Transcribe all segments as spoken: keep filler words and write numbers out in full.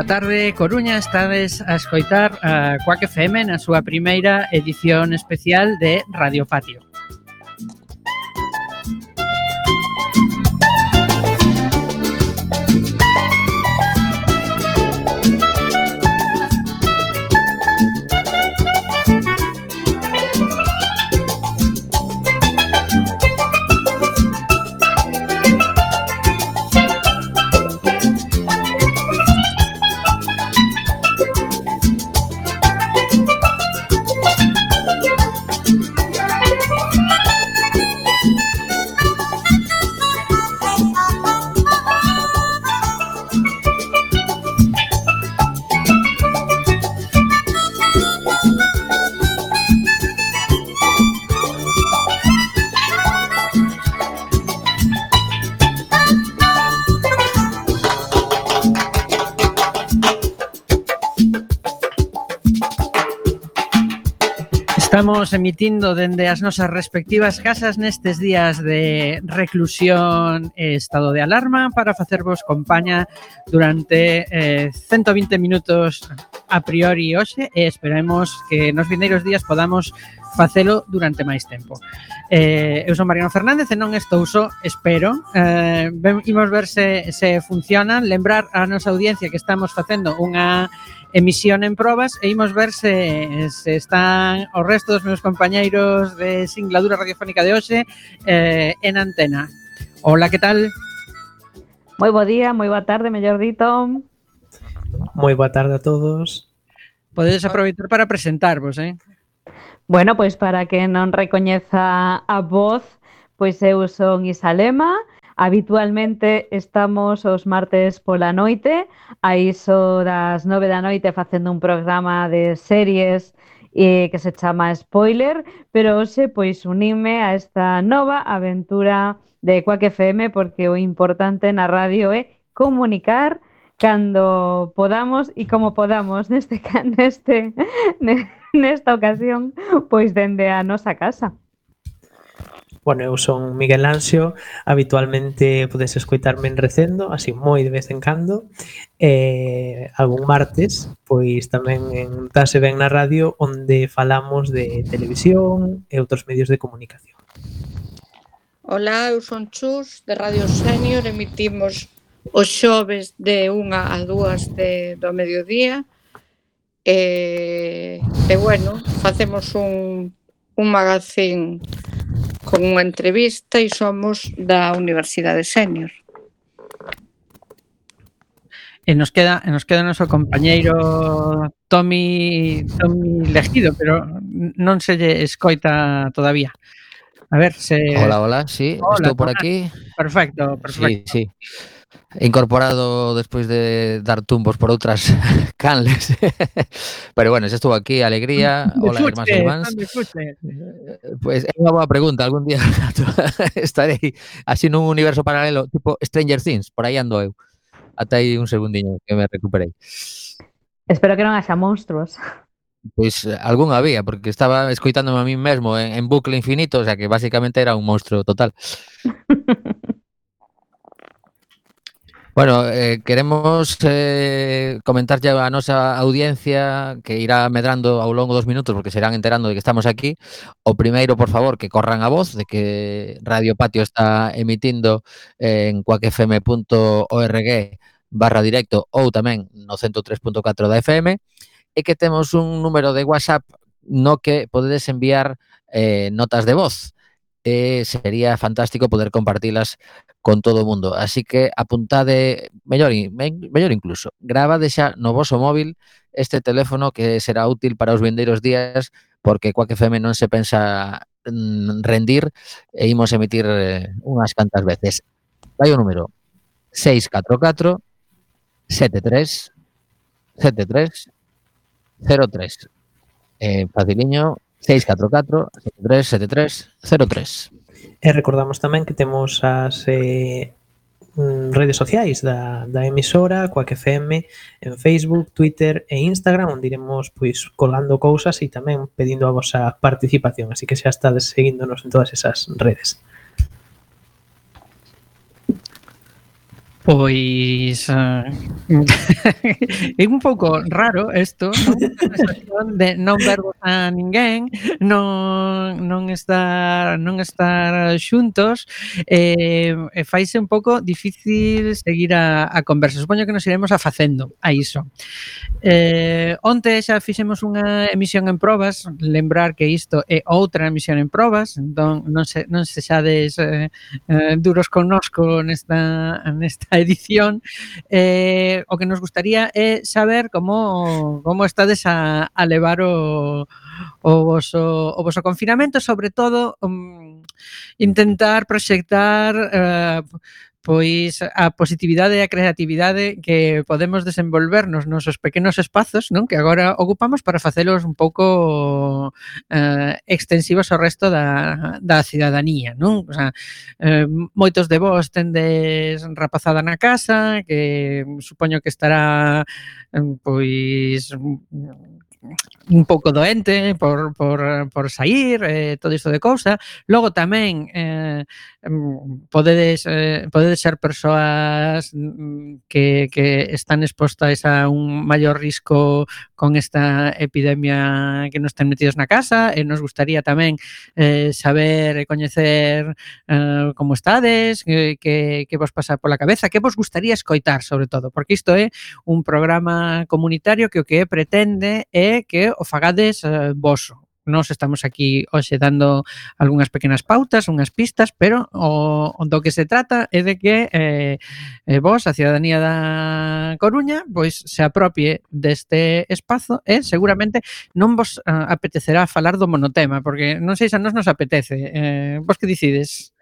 tarde, Coruña. Estades a escoitar a Quack F M na súa primeira edición especial de Radio Patio. Estamos emitindo dende as nosas respectivas casas nestes días de reclusión e estado de alarma para facervos compaña durante eh, ciento vinte minutos a priori hoxe e esperemos que nos vindeiros días podamos facelo durante máis tempo. Eh, eu son Mariano Fernández e non estou só, espero. Eh, imos ver se, se funcionan. Lembrar a nosa audiencia que estamos facendo unha emisión en probas e imos ver se, se están os restos dos meus compañeiros de singladura radiofónica de hoxe eh, en antena. Hola, que tal? Moi bo día, moi boa tarde, mellor dito. Moi boa tarde a todos. Podedes aproveitar para presentarvos, eh? Bueno, pois para que non recoñeza a voz, pois eu son Isa Lema. Habitualmente estamos os martes pola noite, a iso das nove da noite facendo un programa de series eh, que se chama Spoiler, pero hoxe pois unime a esta nova aventura de Quack F M porque o importante na radio é comunicar cando podamos e como podamos neste neste nesta ocasión pois dende a nosa casa. Bueno, eu son Miguel Anxo, habitualmente podes escoitarme en Recendo, así moi de vez en cando, e algún martes, pois tamén en Tase Ben na radio, onde falamos de televisión e outros medios de comunicación. Ola, eu son Chus, de Radio Senior, emitimos os xoves de unha a dúas de, do mediodía, e, e bueno, facemos un, un magazín con unha entrevista e somos da Universidade Senior. E nos queda, nos queda o noso compañeiro Tomi, Tomi Legido, pero non se lle escoita todavía. A ver se... Hola, hola, sí, hola, estou por hola. aquí. Perfecto, perfecto. Sí, sí. Incorporado despois de dar tumbos por outras canles. Pero bueno, xa estou aquí, alegría. Hola, irmáns e irmáns. Pois é unha boa pregunta, algún día estarei así nun universo paralelo, tipo Stranger Things, por aí ando eu. Ata aí un segundiño que me recuperei. Espero que non haxa monstruos. Pois algún había, porque estaba escoitándome a mí mesmo en, en bucle infinito, o sea que basicamente era un monstruo total. Bueno, eh, queremos eh, comentar ya a nosa audiencia que irá medrando ao longo dos minutos porque se irán enterando de que estamos aquí. O primeiro, por favor, que corran a voz de que Radio Patio está emitindo en quackfm punto org barra directo ou tamén no ciento tres punto catro da F M e que temos un número de WhatsApp no que podedes enviar eh, notas de voz. E sería fantástico poder compartilas con todo o mundo. Así que apuntade, mellor, mellor incluso, gravade xa no voso móvil este teléfono que será útil para os vindeiros días porque Quack F M non se pensa rendir e imos emitir eh, unhas cantas veces. Vai o número seis catro catro sete tres sete tres cero tres. Eh, faciliño, seis catro catro sete tres sete tres cero tres. E recordamos tamén que temos as eh, redes sociais da, da emisora, Quack F M, en Facebook, Twitter e Instagram, onde iremos pois colgando cousas e tamén pedindo a vosa participación, así que xa estades seguíndonos en todas esas redes. Pois uh, é un pouco raro isto, non? A sensación de non vervos a ninguén, non, non estar non estar xuntos, e, e faise un pouco difícil seguir a, a conversa. Supoño que nos iremos afacendo a iso. Eh, onte xa fixemos unha emisión en probas, lembrar que isto é outra emisión en probas, entón non se, non se xades eh, eh, duros connosco nesta, nesta edición. Eh, o que nos gustaría é saber como como estades a, a levar o, o voso, o voso confinamento, sobre todo um, intentar proxectar eh, pois a positividade e a creatividade que podemos desenvolver nos nosos pequenos espazos, non? Que agora ocupamos para facelos un pouco eh, extensivos ao resto da, da cidadanía, non? O sea, eh, moitos de vós tendes rapazada na casa, que supoño que estará pois un pouco doente por, por, por sair, eh, todo isto de cousa. Logo tamén eh, podedes, eh, podedes ser persoas que, que están expostas a un maior risco con esta epidemia que nos ten metidos na casa, e nos gustaría tamén eh, saber e coñecer eh, como estades, que, que, que vos pasa pola cabeza, que vos gustaría escoitar, sobre todo, porque isto é un programa comunitario que o que pretende é que o fagades eh, voso. Nós estamos aquí hoxe dando algunhas pequenas pautas, unhas pistas, pero o, o do que se trata é de que eh, eh, vos, a cidadanía da Coruña, pois se apropie deste espazo e seguramente non vos uh, apetecerá falar do monotema, porque non sei se a nos nos apetece. Eh, vos que decides?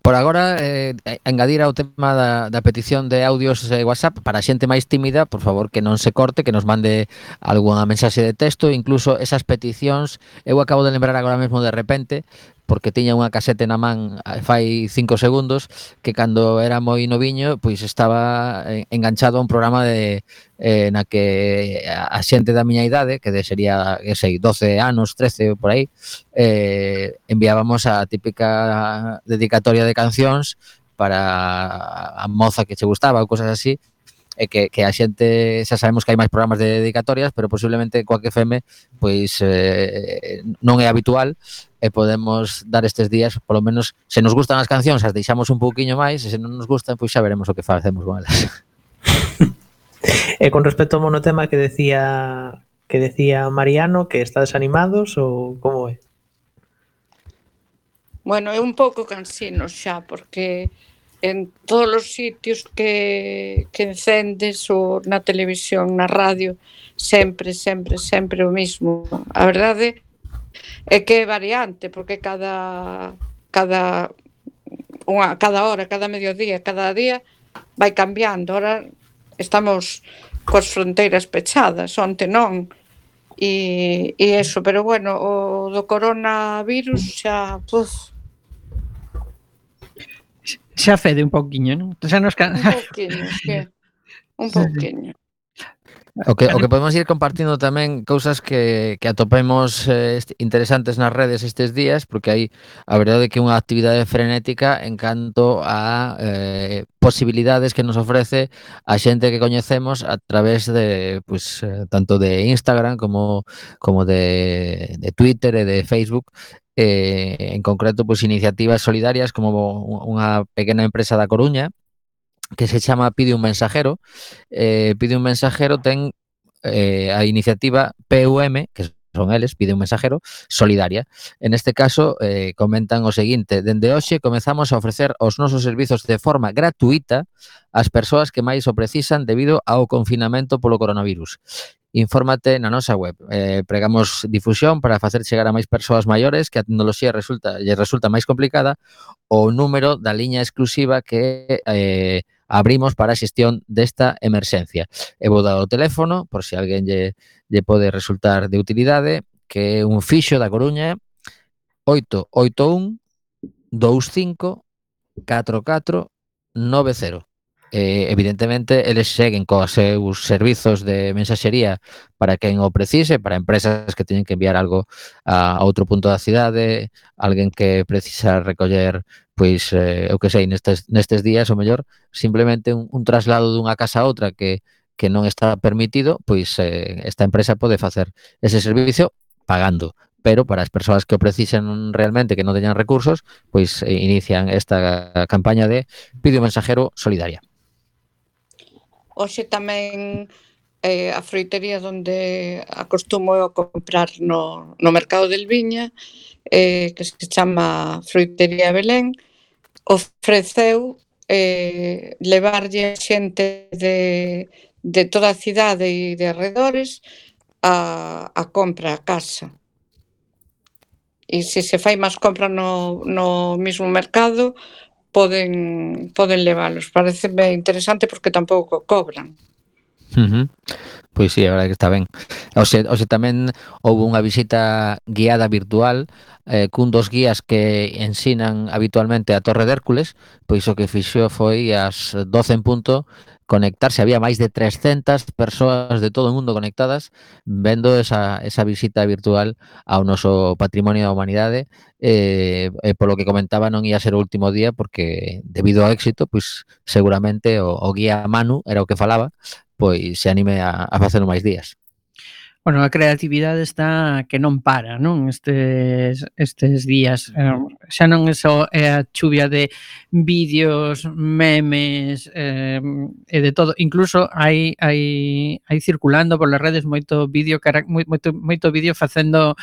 Por agora, eh, engadir ao tema da, da petición de audios de WhatsApp para a xente máis tímida, por favor, que non se corte, que nos mande algunha mensaxe de texto, incluso esas peticións. Eu acabo de lembrar agora mesmo de repente, porque tiña unha casete na man fai cinco segundos, que cando era moi noviño, pois estaba enganchado a un programa de eh, na que a xente da miña idade, que de sería, que sei, doce anos, trece por aí, eh, enviábamos a típica dedicatoria de cancións para a moza que che gustaba ou cosas así, e que, que a xente, xa sabemos que hai máis programas de dedicatorias, pero posiblemente coa que F M pois eh, non é habitual, e podemos dar estes días, polo menos, se nos gustan as cancións, as deixamos un pouquiño máis, e se non nos gustan, pois xa veremos o que facemos con elas. E con respecto ao monotema que decía que decía Mariano, que está desanimados ou como é? Bueno, é un pouco cansino xa, porque en todos os sitios que, que encendes ou na televisión, na radio, sempre, sempre, sempre o mismo. A verdade é que é variante, porque cada cada unha, cada hora, cada mediodía, cada día vai cambiando. Ahora estamos coas fronteiras pechadas, onte non, e, e eso, pero bueno, o do coronavirus xa, puf, xa fede un pouquiño, non? Xa nos can... un pouquiño, que un pouquiño. O que, o que podemos ir compartindo tamén cousas que, que atopemos eh, interesantes nas redes estes días, porque hai a verdade que unha actividade frenética en canto a eh, posibilidades que nos ofrece a xente que coñecemos a través de, pues, eh, tanto de Instagram como, como de, de Twitter e de Facebook, eh, en concreto, pues, iniciativas solidarias como unha pequena empresa da Coruña que se chama Pide un Mensajero. eh, Pide un Mensajero ten eh, a iniciativa P U M, que son eles, Pide un Mensajero, solidaria. En este caso, eh, comentan o seguinte: dende hoxe comezamos a ofrecer os nosos servizos de forma gratuita ás persoas que máis o precisan debido ao confinamento polo coronavirus. Infórmate na nosa web. Eh, pregamos difusión para facer chegar a máis persoas maiores que a tecnoloxía resulta, lle resulta máis complicada, o número da liña exclusiva que eh, abrimos para a xestión desta emerxencia. E vou dar o teléfono, por se alguén lle, lle pode resultar de utilidade, que é un fixo da Coruña, oito oito un dous cinco catro catro nove cero. eh, evidentemente, eles seguen cos seus servizos de mensaxería para quen o precise, para empresas que teñen que enviar algo a outro punto da cidade, alguén que precisa recoller, pois, eh, eu que sei, nestes, nestes días, o mellor, simplemente un, un traslado dunha casa a outra que, que non está permitido, pois eh, esta empresa pode facer ese servicio pagando. Pero para as persoas que o precisen realmente, que non teñan recursos, pois eh, inician esta campaña de Pide un mensajero solidaria. Hoxe tamén eh, a froitería onde acostumo a comprar no, no mercado del Viña, eh, que se chama Froitería Belén, ofreceu eh, levarlle a xente de, de toda a cidade e de arredores a, a compra a casa. E se se fai máis compra no, no mismo mercado, poden, poden leválos. Pareceme interesante porque tampouco cobran. Uh-huh. Pois sí, a verdade que está ben. Oxe, oxe tamén houve unha visita guiada virtual eh, cun dos guías que ensinan habitualmente a Torre de Hércules, pois o que fixo foi ás doce en punto conectarse, había máis de trescentas persoas de todo o mundo conectadas vendo esa, esa visita virtual ao noso patrimonio da humanidade, eh, e polo que comentaba non ia ser o último día porque debido ao éxito, pois seguramente o, o guía Manu era o que falaba, pois se anime a, a facelo máis días. Bueno, a creatividade está que non para, non? Estes, estes días. Eh, xa non é só é a chuvia de vídeos, memes eh, e de todo. Incluso hai, hai, hai circulando polas redes moito vídeo moito, moito vídeo facendo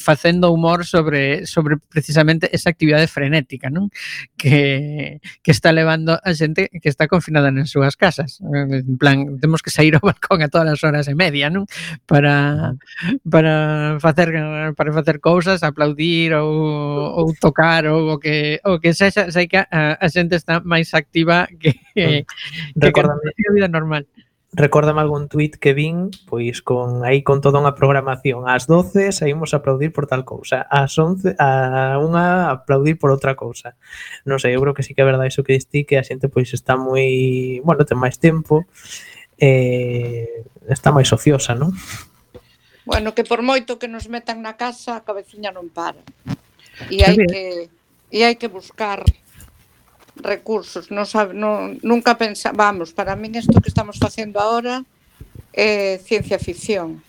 facendo humor sobre, sobre precisamente esa actividade frenética, non? Que, que está levando a xente que está confinada nas súas casas. En plan, temos que sair ao balcón a todas as horas e media, non? Para para facer para facer cousas, aplaudir ou, ou tocar ou o que o que sexa, sei que a, a xente está máis activa que, que, Recórdame, que a vida normal. Recórdame algún tuit que vin, pois con aí con toda unha programación. Ás doce saímos a aplaudir por tal cousa, ás once a unha a aplaudir por outra cousa. Non sei, eu creo que sí que é verdade iso que distí, que a xente pois está moi, bueno, ten máis tempo, eh, está máis ociosa, non? Bueno, que por moito que nos metan na casa, a cabeciña non para. E hai que e hai que buscar recursos. Non sabe, non, nunca pensa, vamos, para min isto que estamos facendo agora é ciencia ficción.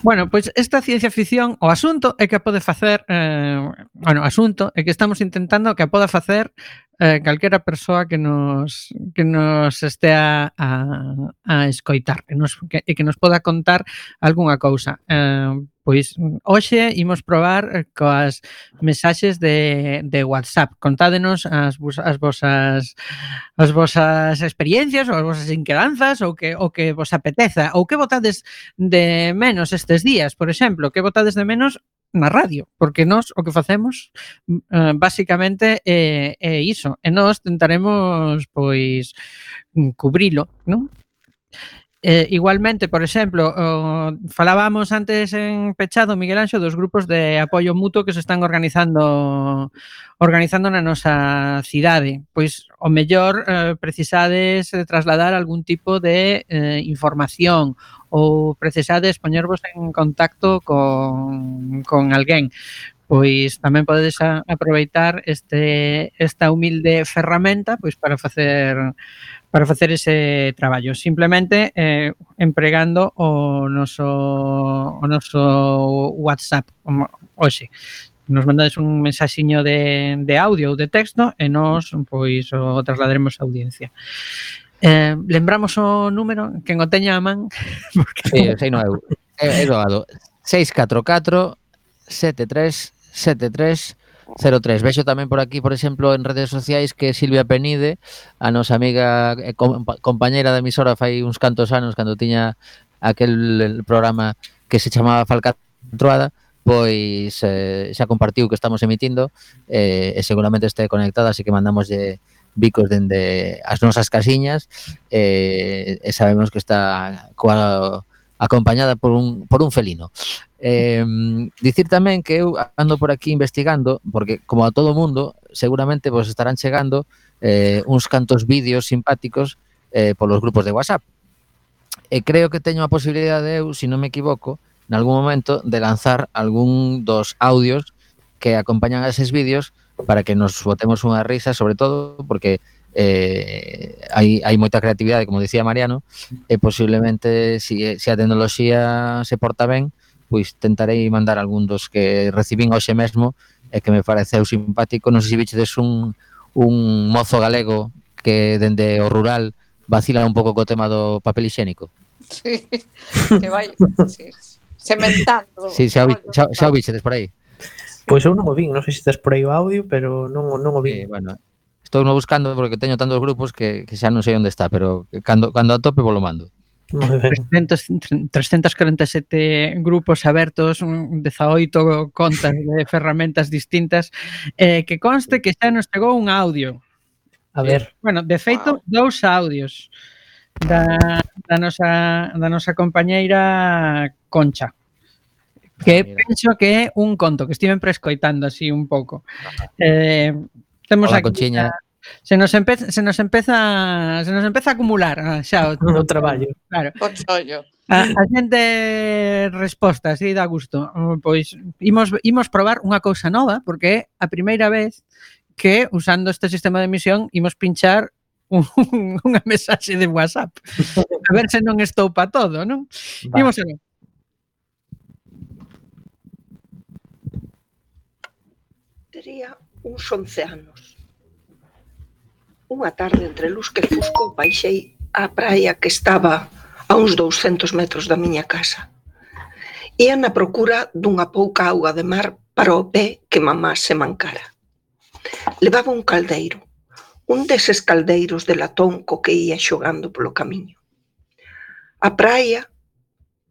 Bueno, pois pues esta ciencia ficción, o asunto é que a pode facer, eh, bueno, o asunto é que estamos intentando que a poda facer eh, calquera persoa que nos que nos estea a, a escoitar, que nos, que, e que nos poda contar algunha cousa. Eh, pois hoxe imos probar coas mensaxes de, de WhatsApp. Contádenos as, as vosas as vosas experiencias ou as vosas inquedanzas ou que o que vos apeteza ou que botades de menos estes días, por exemplo, que botades de menos na radio, porque nós o que facemos uh, basicamente é, é iso, e nós tentaremos pois cubrilo, non? Eh, igualmente, por exemplo, oh, falábamos antes en pechado, Miguel Anxo, dos grupos de apoio mutuo que se están organizando organizando na nosa cidade. Pois, o mellor, eh, precisades trasladar algún tipo de eh, información ou precisades poñervos en contacto con, con alguén. Pois tamén podedes a, aproveitar este, esta humilde ferramenta pois para facer para facer ese traballo, simplemente eh, empregando o noso o noso WhatsApp hoxe. Nos mandades un mensaxiño de, de audio ou de texto e nos pois o trasladaremos a audiencia. Eh, lembramos o número, quen o teña a man, porque sí, sei no eu. É, é doado. seis catro catro sete tres sete tres cero tres. Vexo tamén por aquí, por exemplo, en redes sociais que Silvia Penide, a nosa amiga e compañeira da emisora fai uns cantos anos cando tiña aquel programa que se chamaba Falcatruada, pois eh, xa compartiu que estamos emitindo eh, e seguramente este conectada, así que mandamos de bicos dende as nosas casiñas eh, e sabemos que está coa acompañada por un, por un felino. Eh, dicir tamén que eu ando por aquí investigando, porque como a todo mundo, seguramente vos estarán chegando eh, uns cantos vídeos simpáticos eh, polos grupos de WhatsApp. E creo que teño a posibilidade, eu, se non me equivoco, en algún momento de lanzar algún dos audios que acompañan a eses vídeos para que nos botemos unha risa, sobre todo porque eh, hai, hai moita creatividade, como dicía Mariano, e posiblemente, se, se a tecnoloxía se porta ben, pois tentarei mandar algún dos que recibín hoxe mesmo e que me pareceu simpático. Non sei se vichedes un, un mozo galego que dende o rural vacila un pouco co tema do papel higiénico. Sí, que vai sí, sementando. Sí, xa o, vi, xa, xa o vichedes por aí. Pois eu non o vin, non sei se estás por aí o audio, pero non, non o Sí, vin. bueno, estou no buscando porque teño tantos grupos que, que xa non sei onde está, pero cando, cando a tope vos lo mando. Moi ben. trescentos corenta e sete grupos abertos, dezaoito contas de ferramentas distintas, eh, que conste que xa nos chegou un audio. A ver. Bueno, de feito, Wow. dous audios da, da, nosa, da nosa compañeira Concha, que Mira. penso que é un conto que estiven prescoitando así un pouco. Eh, temos Hola, aquí Conchiña. a, se nos empeza se nos empeza se nos empeza a acumular ah, xa o, No traballo. claro. O chollo. A, a xente resposta, así dá gusto. Pois imos imos probar unha cousa nova porque é a primeira vez que usando este sistema de emisión imos pinchar un, unha mensaxe de WhatsApp. A ver se non estou pa todo, non? Va. Imos a ver. Tería uns once anos. Unha tarde entre luz que fusco baixei á praia que estaba a uns douscentos metros da miña casa. Ía na procura dunha pouca auga de mar para o pé que mamá se mancara. Levaba un caldeiro, un deses caldeiros de latón co que ía xogando polo camiño. A praia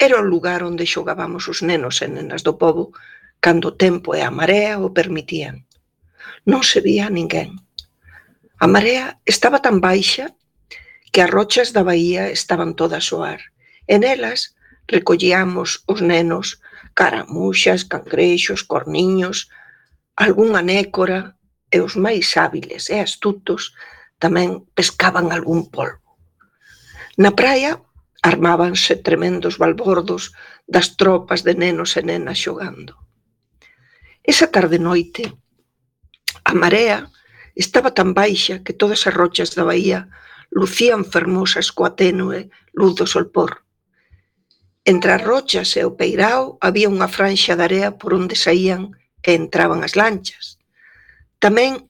era o lugar onde xogábamos os nenos e nenas do pobo cando o tempo e a marea o permitían. Non se vía ninguén. A marea estaba tan baixa que as rochas da baía estaban todas ao ar. E nelas recollíamos os nenos caramuxas, cangrexos, corniños, algunha nécora e os máis hábiles e astutos tamén pescaban algún polvo. Na praia armábanse tremendos balbordos das tropas de nenos e nenas xogando. Esa tarde noite, a marea estaba tan baixa que todas as rochas da baía lucían fermosas coa tenue luz do solpor. Entre as rochas e o peirao había unha franxa de area por onde saían e entraban as lanchas. Tamén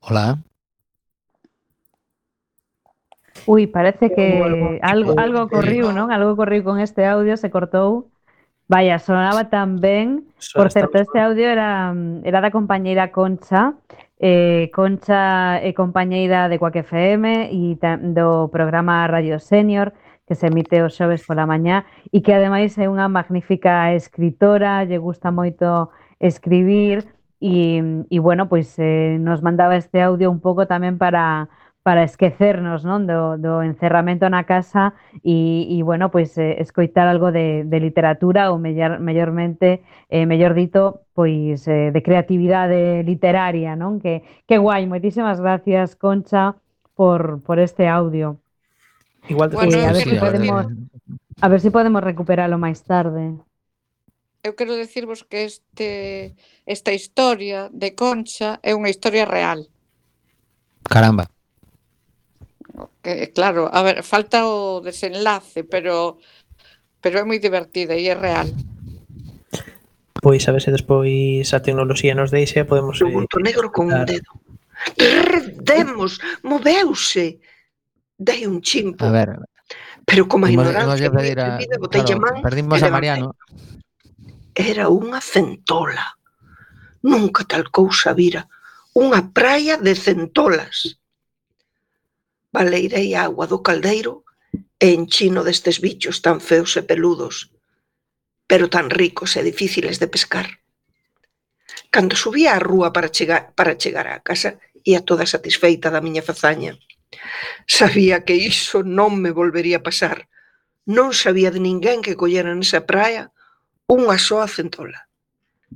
Hola. Ui, parece que algo, tipo algo de- ocorriu, non? Algo ocorriu con este audio, se cortou. Vaya, sonaba tan ben. Só Por certo, estamos este audio era, era da compañeira Concha. Eh, Concha é compañeira de Quack F M e do programa Radio Senior, que se emite os xoves pola mañá e que ademais é unha magnífica escritora, lle gusta moito escribir e, e bueno, pois eh, nos mandaba este audio un pouco tamén para para esquecernos, non, do, do encerramento na casa e, e bueno, pois eh, escoitar algo de, de literatura ou mellor, mellormente, eh, mellor dito, pois eh, de creatividade literaria, non? Que, que guai, moitísimas gracias, Concha, por, por este audio. Igual te Bueno, Eh, a ver Sí, se a ver, podemos a ver se podemos recuperalo máis tarde. Eu quero decirvos que este esta historia de Concha é unha historia real. Caramba. Que, claro, a ver, falta o desenlace, pero pero é moi divertida e é real. Pois a ver se despois a tecnoloxía nos deixa, podemos o bulto negro con un escutar. dedo. Redemos, moveuse. Dei un chimpo, A ver, pero como a imos, ignorancia imos moi pedir a, atrevida, botei a claro, man perdimos e a levantei. Mariano. Era unha centola. Nunca tal cousa vira. Unha praia de centolas. Baleirei a agua do caldeiro e enchino destes bichos tan feos e peludos, pero tan ricos e difíciles de pescar. Cando subía á rúa para chegar, para chegar á casa, ia toda satisfeita da miña fazaña. Sabía que iso non me volvería a pasar. Non sabía de ninguén que collera nesa praia unha soa centola.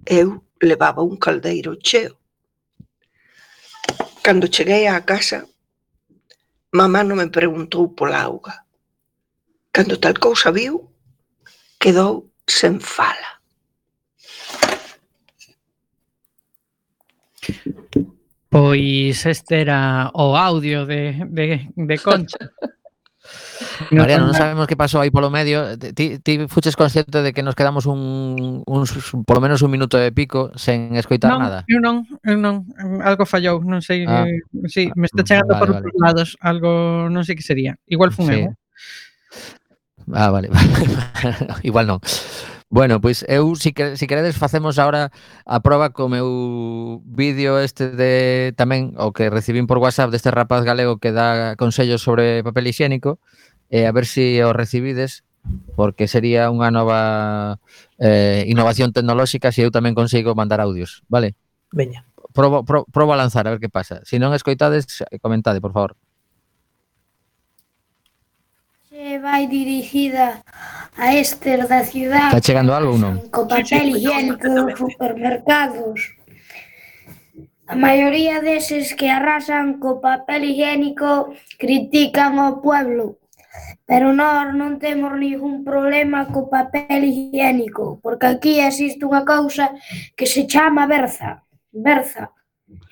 Eu levaba un caldeiro cheo. Cando cheguei á casa, mamá non me preguntou pola auga. Cando tal cousa viu, quedou sen fala. Pois este era o audio de, de, de Concha. Mariano, non sabemos que pasou aí polo medio. Ti, ti fuches consciente de que nos quedamos un, un, polo menos un minuto e pico sen escoitar non, nada? Eu non, eu non, algo fallou, non sei, Ah, sí, me está chegando vale, por vale. outros lados, algo, non sei que sería. Igual fun Sí. eu. Ah, vale. Igual non. Bueno, pois eu, si, que, si queredes, facemos agora a proba co meu vídeo este de tamén, o que recibín por WhatsApp deste rapaz galego que dá consellos sobre papel higiénico, e a ver se si o recibides, porque sería unha nova eh, innovación tecnolóxica se eu tamén consigo mandar audios, vale? Veña. Probo, pro, probo a lanzar, a ver que pasa. Se non escoitades, comentade, por favor. Se vai dirixida a estes da cidade. Está chegando algo ou non? Co papel higiénico dos supermercados. A maioría deses que arrasan co papel higiénico critican ao pueblo, pero nós non temos ningún problema co papel higiénico, porque aquí existe unha cousa que se chama berza. Berza.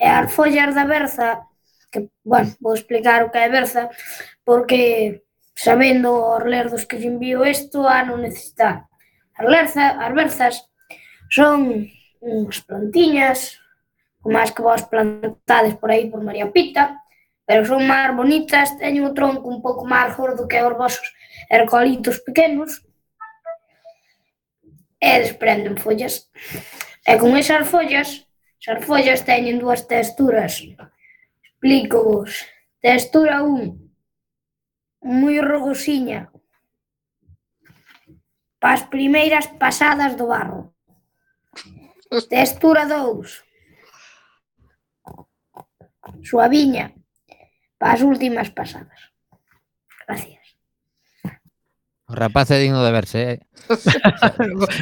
E as follas da berza, que, bueno, vou explicar o que é berza, porque sabendo os lerdos que lle envío isto a non necesitar. As, lerza, as berzas son unhas plantiñas, como as que vos plantades por aí por María Pita, pero son máis bonitas, teñen o tronco un pouco máis gordo que os vosos ercolitos pequenos, e desprenden follas. E con esas follas, esas follas teñen dúas texturas. Explico vos. Textura un, moi rogosiña, para as primeiras pasadas do barro. Textura dous, suaviña, para as últimas pasadas. Gracias. O rapaz é digno de verse, eh?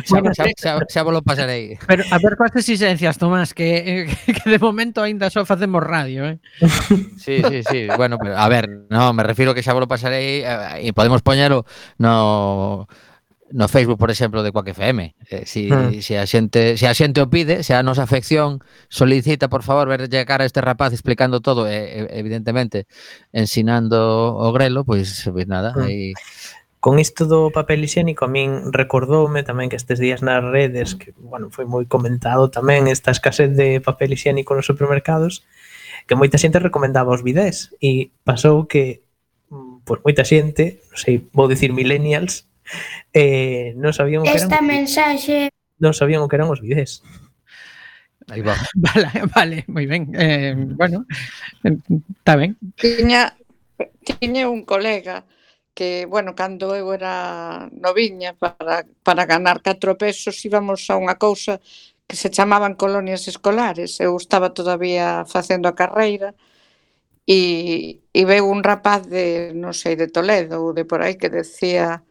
xa, xa, xa, xa vos lo pasarei. Pero a ver coas exigencias, Tomás, que, que de momento aínda só facemos radio, eh? Sí, sí, sí. Bueno, pero, a ver, no, me refiro que xa vos lo pasarei e eh, podemos poñelo no no Facebook, por exemplo, de Quack F M. Eh, si, hmm. si a xente, se a xente o pide, se a nosa afección solicita, por favor, verlle a cara a este rapaz explicando todo, e, evidentemente, ensinando o grelo, pois, pues, pues nada, aí... Hmm. Con isto do papel higiénico, a min recordoume tamén que estes días nas redes, que, bueno, foi moi comentado tamén esta escasez de papel higiénico nos supermercados, que moita xente recomendaba os bidés, e pasou que, pois, moita xente, non sei, vou dicir millennials, eh, non sabían o que eran... Esta mensaxe... Non sabían o que eran os bidés. Aí va. Vale, vale, moi ben. Eh, bueno, está ben. Tiña, tiña un colega que, bueno, cando eu era noviña, para, para ganar catro pesos íbamos a unha cousa que se chamaban colonias escolares. Eu estaba todavía facendo a carreira e, e veu un rapaz de, non sei, de Toledo ou de por aí que decía,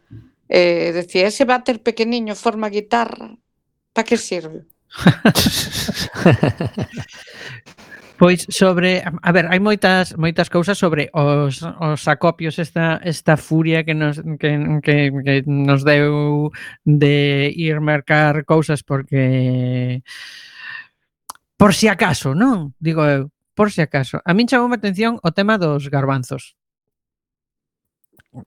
eh, decía, ese váter pequeniño forma guitarra, para que sirve? Pois sobre, a ver, hai moitas moitas cousas sobre os, os acopios, esta esta furia que nos que, que, que nos deu de ir mercar cousas porque por si acaso, non? Digo eu, por si acaso. A min chamoume a atención o tema dos garbanzos.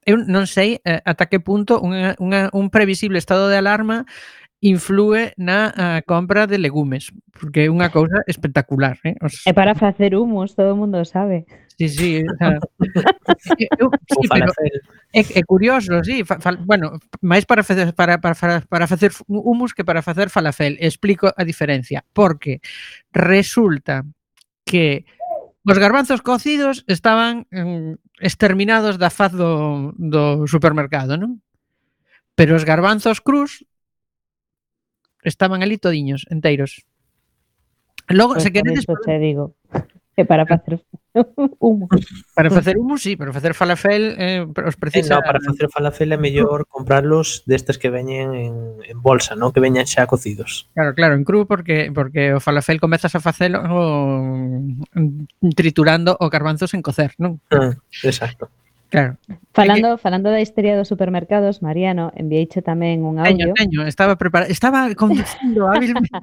Eu non sei eh, ata que punto unha, unha, un previsible estado de alarma inflúe na uh, compra de legumes, porque é unha cousa espectacular, eh? Os... É para facer humus, todo o mundo sabe. Sí, sí, o sea, eu, sí, pero é, é curioso, sí, fa, fa, bueno, máis para facer para, para, para facer humus que para facer falafel. Explico a diferencia, porque resulta que os garbanzos cocidos estaban um, exterminados da faz do, do supermercado, non? Pero os garbanzos crus estaban ali todiños, enteiros. Logo, Pois se por queredes, iso che digo. E para facer humo. para facer humus, sí, para facer falafel eh, os Eh, precisa... no, para facer falafel é mellor comprarlos destes que veñen en, en bolsa, non? Que veñan xa cocidos. Claro, claro, en cru porque porque o falafel comezas a facelo mm, triturando o garbanzos en cocer, non? Ah, exacto. Claro. Falando, falando da histeria dos supermercados, Mariano, envieiche tamén un Teño, audio. teño, estaba preparado, estaba conducindo hábilmente,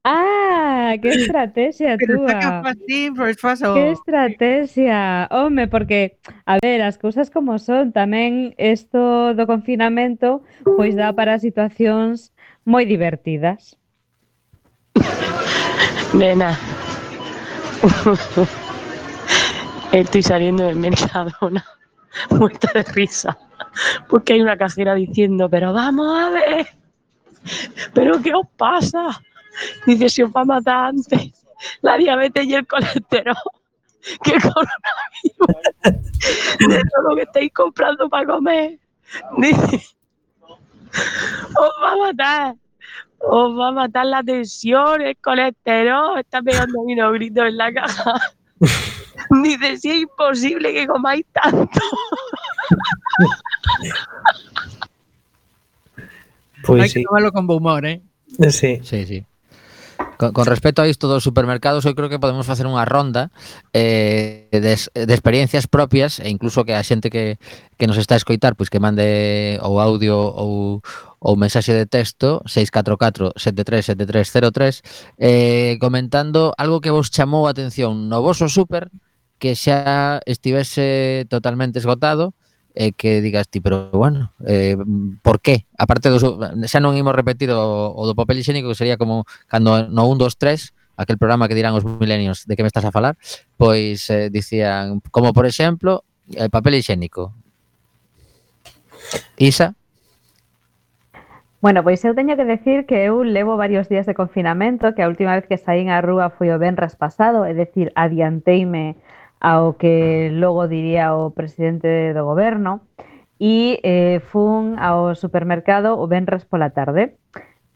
Ah, que estrategia pero xa que túa. fue así, pois paso... Que estrategia. Home, porque, a ver, as cousas como son, tamén isto do confinamento pois dá para situacións moi divertidas. Nena, estoy saliendo del Mercadona muerta de risa porque hay una cajera diciendo, pero vamos a ver, pero ¿qué os pasa? Dice, si os va a matar antes la diabetes y el colesterol que el coronavirus de todo lo que estáis comprando para comer. Dice, os va a matar. Os va a matar la tensión, el colesterol. Está pegando unos gritos en la caja. Dice, si es imposible que comáis tanto. Pois Hai sí. que tomarlo con bo humor, eh? Sí. Sí, sí. Con, con respecto a isto dos supermercados, eu creo que podemos facer unha ronda eh, de, de experiencias propias e incluso que a xente que, que nos está a escoitar pois que mande ou audio ou, ou mensaxe de texto seis catro catro sete tres sete tres cero tres eh, comentando algo que vos chamou a atención no voso super que xa estivese totalmente esgotado e que digas ti, pero bueno, eh, por qué? Aparte dos, xa non imos repetir o, o do papel higiénico, que sería como cando no un, dos, tres, aquel programa que dirán os milenios de que me estás a falar, pois eh, dicían, como por exemplo, el papel higiénico. Isa? Bueno, pois eu teño que decir que eu levo varios días de confinamento, que a última vez que saín á rúa foi o venres pasado, é dicir, adianteime ao que logo diría o presidente do goberno, e eh, fun ao supermercado o venres pola tarde.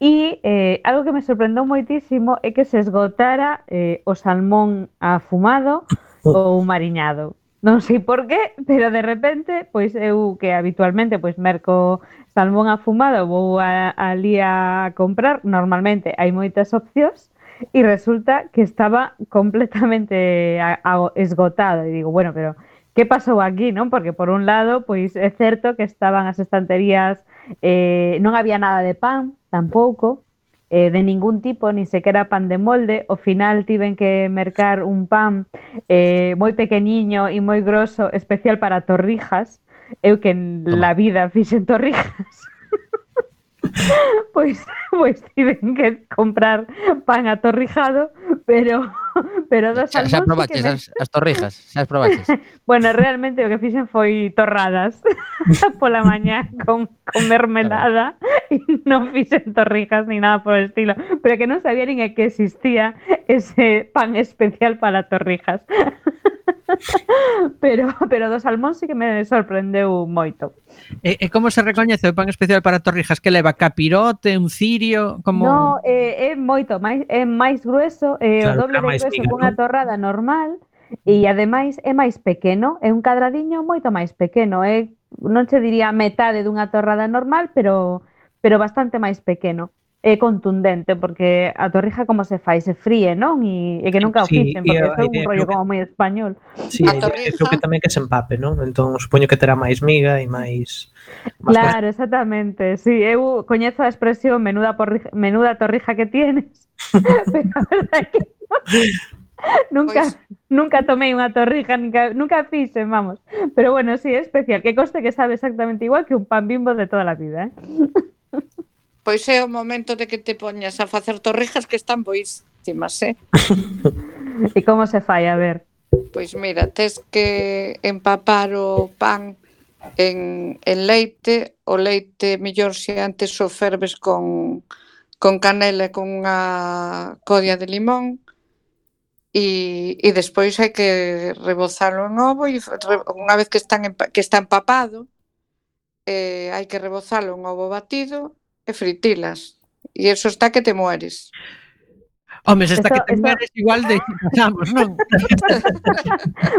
E eh, algo que me sorprendeu moitísimo é que se esgotara eh, o salmón afumado ou mariñado. Non sei por qué, pero de repente, pois eu que habitualmente pois merco salmón afumado, vou a, ali a comprar, normalmente hai moitas opcións, e resulta que estaba completamente a, a, esgotado. E digo, bueno, pero que pasou aquí, non? Porque por un lado, pois é certo que estaban as estanterías, eh, non había nada de pan, tampouco, eh, de ningún tipo, ni sequera pan de molde. Ao final tiven que mercar un pan eh, moi pequeniño e moi grosso, especial para torrijas. Eu que en la vida fixen torrijas. Pois, pois tiven que comprar pan atorrijado, pero pero dos Xa, xa salmóns probaches sí que me... as, as torrijas? Xa as probaches? Bueno, realmente o que fixen foi torradas pola mañá con, con mermelada e non fixen torrijas ni nada por el estilo, pero que non sabía nin que existía ese pan especial para torrijas. Pero, pero do salmón sí que me sorprendeu moito. E, e como se recoñece o pan especial para torrijas? Que leva capirote, un cirio, como... No, eh, é moito máis, é máis grueso, é o Claro, doble era de máis grueso miga, que unha non? torrada normal e ademais é máis pequeno, é un cadradiño moito máis pequeno, é, non se diría metade dunha torrada normal, pero pero bastante máis pequeno. É contundente, porque a torrija como se fai, se fríe, non? E, e que nunca o Sí, fixen, e porque a é un idea rollo creo que- como moi español. Sí, A a idea, torrija. creo que tamén que se empape, non? Entón, supoño que terá máis miga e máis... máis Claro, exactamente. Sí, eu coñezo a expresión menuda, porrija, menuda torrija que tienes, pero a verdade é que nunca, Pois- nunca tomei unha torrija, nunca, nunca fixen, vamos. Pero bueno, sí, é especial. Que coste que sabe exactamente igual que un pan Bimbo de toda a vida, eh? Pois é o momento de que te poñas a facer torrijas que están boísimas, eh? E como se fai, a ver? Pois mira, tes que empapar o pan en, en leite, o leite mellor se antes o ferves con, con canela e con unha codia de limón e, e despois hai que rebozalo en ovo e re- unha vez que, están empa- que está empapado eh, hai que rebozalo en ovo batido e fritilas e eso está que te mueres. Home, se está Esto- que te esto- mueres igual de pasamos, non?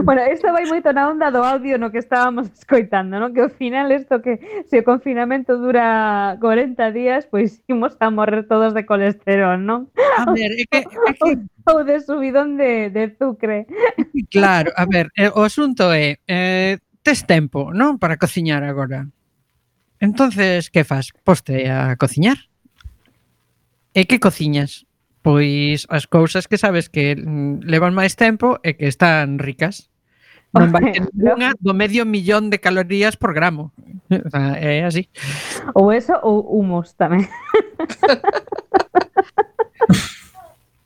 Bueno, isto vai moito na onda do audio no que estábamos escoitando, non? Que ao final isto que se o confinamento dura corenta días, pois imos a morrer todos de colesterol, non? A ver, é que, é que Ou de subidón de, de azucre. claro, a ver, eh, o asunto é, eh, tes tempo, non? Para cociñar agora. Entonces, que fas? Poste a cociñar. E que cociñas? Pois as cousas que sabes que mm, levan máis tempo e que están ricas. Non vai ter ninguna do medio millón de calorías por gramo. O sea, é así. Ou eso ou humus tamén.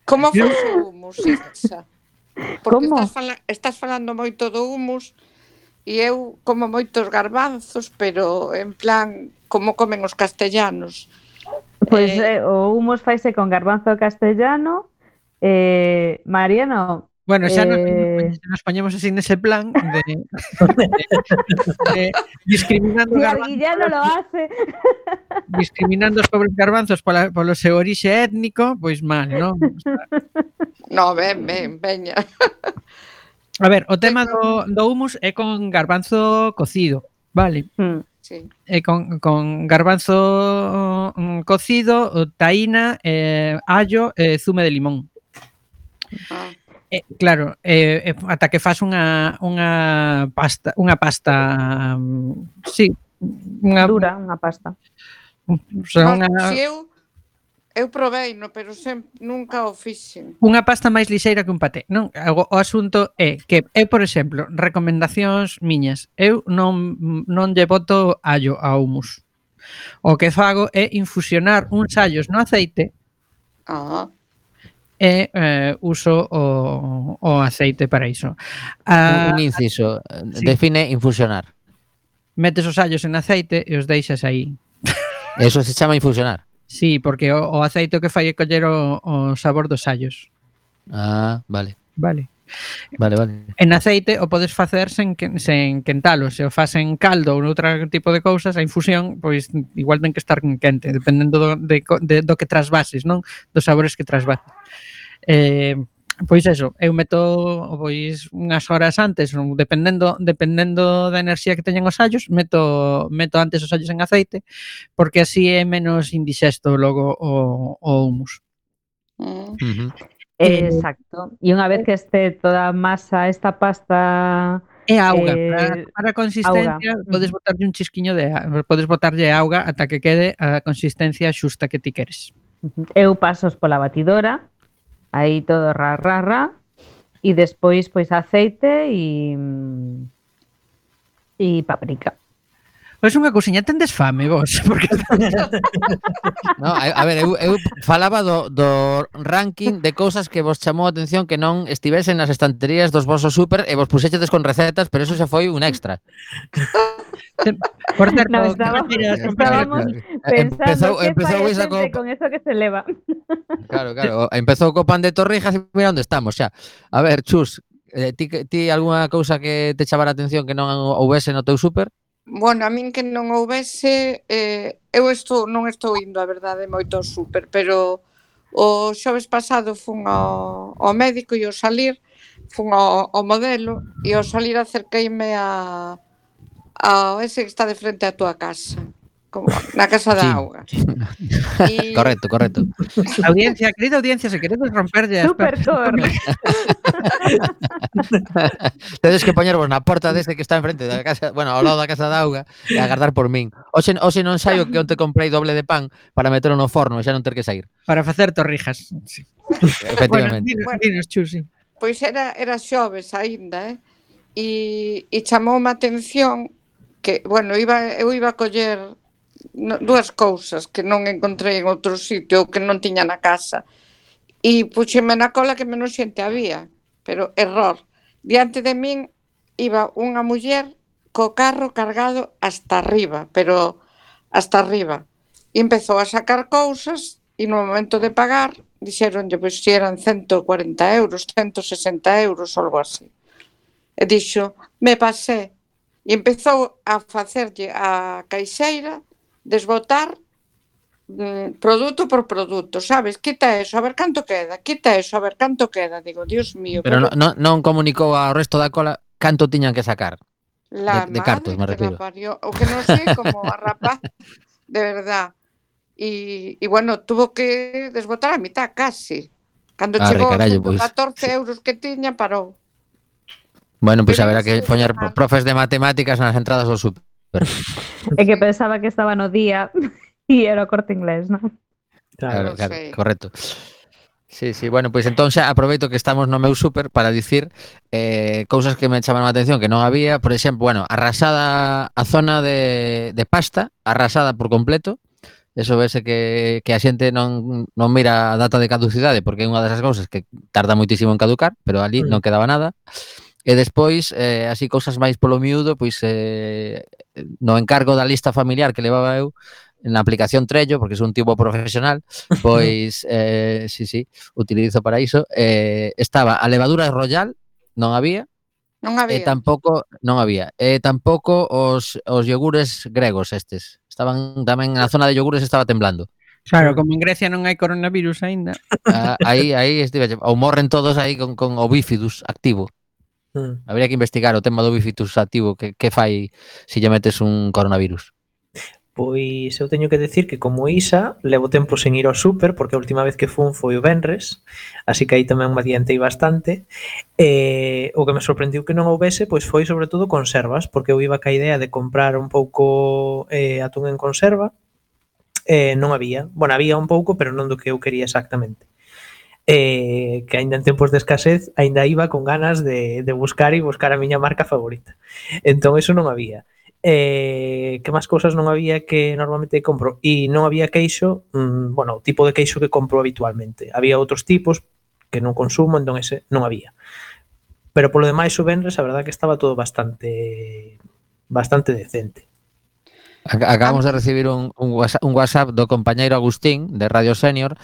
Como faz o humus, Itza? Porque Como? estás, fala estás falando moito do humus e eu como moitos garbanzos, pero en plan, como comen os castellanos. Pois Eh, eh, o humus faise con garbanzo castellano. Eh, Mariano, Bueno, xa nos, eh, nos poñemos así nese plan de, de, de discriminando si garbanzos, Arguillano lo hace. discriminando os pobres garbanzos pola, polo seu orixe étnico, pois mal, non? O sea, no, ben, ben, veña. a ver, o tema do, do humus é con garbanzo cocido, vale? Mm. Sí. E con, con garbanzo mm, cocido, taína, eh, allo e zume de limón. Ah. Eh, claro, eh, eh, ata que fas unha unha pasta, unha pasta, mm, sí, unha Dura, unha pasta. o sea, No, unha si eu eu provei, no, pero sempre nunca o fixen. unha pasta máis lixeira que un paté, non? O, o asunto é que eu, por exemplo, recomendacións miñas, eu non non lle boto allo ao humus. O que fago é infusionar uns allos no aceite Ah. e eh, uso o, o aceite para iso. Un, Ah, un inciso. sí. Define infusionar. metes os allos en aceite e os deixas aí. Eso se chama infusionar. Sí, porque o, o aceite o que fai é coller o, o sabor dos allos. Ah, vale. Vale. Vale, vale. En aceite o podes facer sen, que- sen quentalo. Se o fas en caldo ou noutro tipo de cousas, a infusión, pois igual ten que estar quente, dependendo do, de, co- de, do que trasvases, non? Dos sabores que trasvases. Eh, pois eso, eu meto pois unhas horas antes, non? dependendo dependendo da enerxía que teñen os allos, meto meto antes os allos en aceite, porque así é menos indixesto logo o, o humus. Mm. Ujú. Eh, Exacto. E unha vez que este toda a masa, esta pasta, É auga, eh, para, para a consistencia auga. podes Ujú. botarlle un chisquiño de auga, podes botarlle auga ata que quede a consistencia xusta que ti queres. eu pasos pola batidora, aí todo ra, ra, ra, e despois pois aceite e e paprika. Pois unha cousiña, tendes fame vos, porque No, a, a ver, eu, eu falaba do, do ranking de cousas que vos chamou a atención que non estivesen nas estanterías dos vosos super e vos puxechedes con recetas, pero eso xa foi un extra. por certo, No, que estaba- queiras estábamos compañero, pensando Empezou, que empezou fai a esa xente co, con eso que se leva. claro, claro, empezou co pan de torrijas e mira onde estamos xa. A ver, Chus, eh, ti, ti algunha cousa que te chamara a atención que non houvese no teu super? Bueno, a min que non houvese, eh, eu estou, non estou indo, a verdade, moito ao súper, pero o xoves pasado fun ao, ao médico e ao salir, fun ao, ao modelo e ao salir acerqueime a, a ese que está de frente á túa casa, como na casa da Sí. auga. E- Correcto, correcto. audiencia, querida audiencia, se queredes romperlle as Super Thor. Tedes que poñervos na porta deste que está enfrente da casa, bueno, ao lado da casa da auga e agardar por min. Oxe, oxe non saio que onte comprei doble de pan para metelo no forno e xa non ter que sair. para facer torrijas. Sí. Bueno, Efectivamente. dinos, Bueno. dinos, Chus, sí. Pois era, era xoves aínda, eh? E, e chamoume a atención que, bueno, iba, eu iba a coller no, dúas cousas que non encontrei en outro sitio ou que non tiña na casa. E puxeme na cola que menos xente había, pero error. Diante de min iba unha muller co carro cargado hasta arriba, pero hasta arriba. E empezou a sacar cousas e no momento de pagar dixeronlle pois si eran ciento cuarenta euros, ciento sesenta euros, algo así. E dixo, me pasé. E empezou a facerlle a caixeira desbotar mm, produto por produto, sabes? Quita eso, a ver canto queda, quita eso, a ver canto queda. Digo, Dios mío, Pero pero non, non, non comunicou ao resto da cola canto tiñan que sacar. la De, de cartos, madre me que la refiero. parió. O que non sei como a rapaz, de verdad. Y, y bueno, tuvo que desbotar a mitad casi. Cando Arre, chegou aos carallo, ciento pois. catorce euros que tiña, parou. Bueno, pois Pero haberá iba que ser poñer semana. profes de matemáticas nas entradas do super. É que pensaba que estaba no día e era o Corte Inglés, non? Claro, Non claro, sei. correcto. Sí, sí, bueno, pois entón xa aproveito que estamos no meu super para dicir eh, cousas que me chamaron a atención que non había, por exemplo, bueno, arrasada a zona de, de pasta, arrasada por completo. Eso vese que, que a xente non, non mira a data de caducidade porque é unha desas cousas que tarda moitísimo en caducar, pero ali non quedaba nada. E despois, eh, así cousas máis polo miúdo, pois eh, no encargo da lista familiar que levaba eu na aplicación Trello, porque sou un tipo profesional, pois, eh, sí, sí, utilizo para iso, eh, estaba a levadura royal, non había, Non e había. tampouco, non había, e tampouco os, os yogures gregos estes, estaban tamén na zona de yogures estaba temblando. Claro, como en Grecia non hai coronavirus aínda. Ah, aí, aí estive, ou morren todos aí con, con o bífidus activo. Mm. Habría que investigar o tema do bífidus activo, que, que fai se lle metes un coronavirus. Pois eu teño que decir que como Isa levo tempo sen ir ao súper porque a última vez que fun foi o venres, así que aí tamén me adiantei bastante. E o que me sorprendiu que non houbese pois foi sobre todo conservas, porque eu iba ca idea de comprar un pouco eh, atún en conserva, e non había. Bueno, había un pouco, pero non do que eu quería exactamente. Eh, que aínda en tempos de escasez aínda iba con ganas de, de buscar e buscar a miña marca favorita. Entón eso non había. Eh, que máis cousas non había que normalmente compro? E non había queixo, mmm, bueno, o tipo de queixo que compro habitualmente. Había outros tipos que non consumo, entón ese non había. Pero polo demais o venres, a verdad que estaba todo bastante bastante decente. Acabamos de recibir un, un, WhatsApp, un WhatsApp do compañeiro Agustín de Radio Senior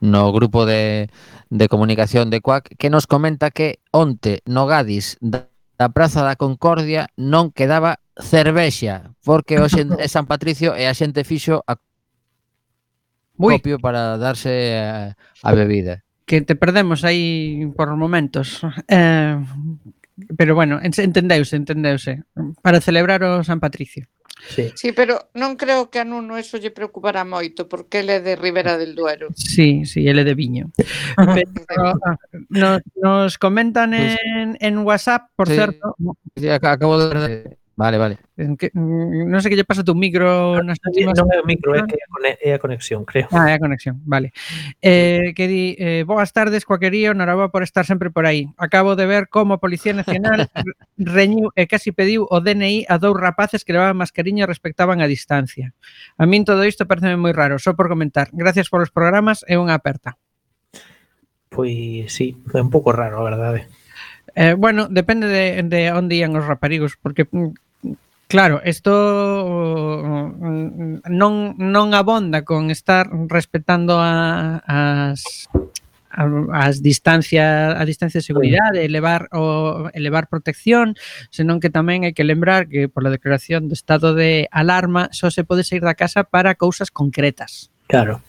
no grupo de, de comunicación de Cuac que nos comenta que onte no Gadis da da Praza da Concordia non quedaba cervexa, porque hoxe é San Patricio e a xente fixo a copio para darse a, a bebida. Que te perdemos aí por momentos. Eh, pero bueno, entendeuse, entendeuse. Para celebrar o San Patricio. Sí. Sí, pero non creo que a Nuno eso lle preocupará moito, porque ele é de Ribera del Duero. Sí, sí, ele de Viño. Pero nos, nos comentan en, en WhatsApp, por sí, certo. Sí, acabo de ver. Vale, vale. Que, non sei que lle pasa tu micro nas últimas... Non é o micro, é que é a conexión, creo. Ah, é a conexión, vale. Eh, que di, eh, boas tardes, Cuaquerío, noraboa por estar sempre por aí. Acabo de ver como a Policía Nacional reñiu e casi pediu o D N I a dous rapaces que levaban mascariña e respectaban a distancia. A min todo isto pareceme moi raro, só por comentar. Gracias polos programas e unha aperta. Pois sí, é un pouco raro, a verdade. Eh, bueno, depende de, de onde ian os raparigos, porque claro, isto non, non abonda con estar respetando a, as, a, as distancias, a distancia de seguridade, elevar o elevar protección, senón que tamén hai que lembrar que por la declaración de estado de alarma só se pode sair da casa para cousas concretas. Claro.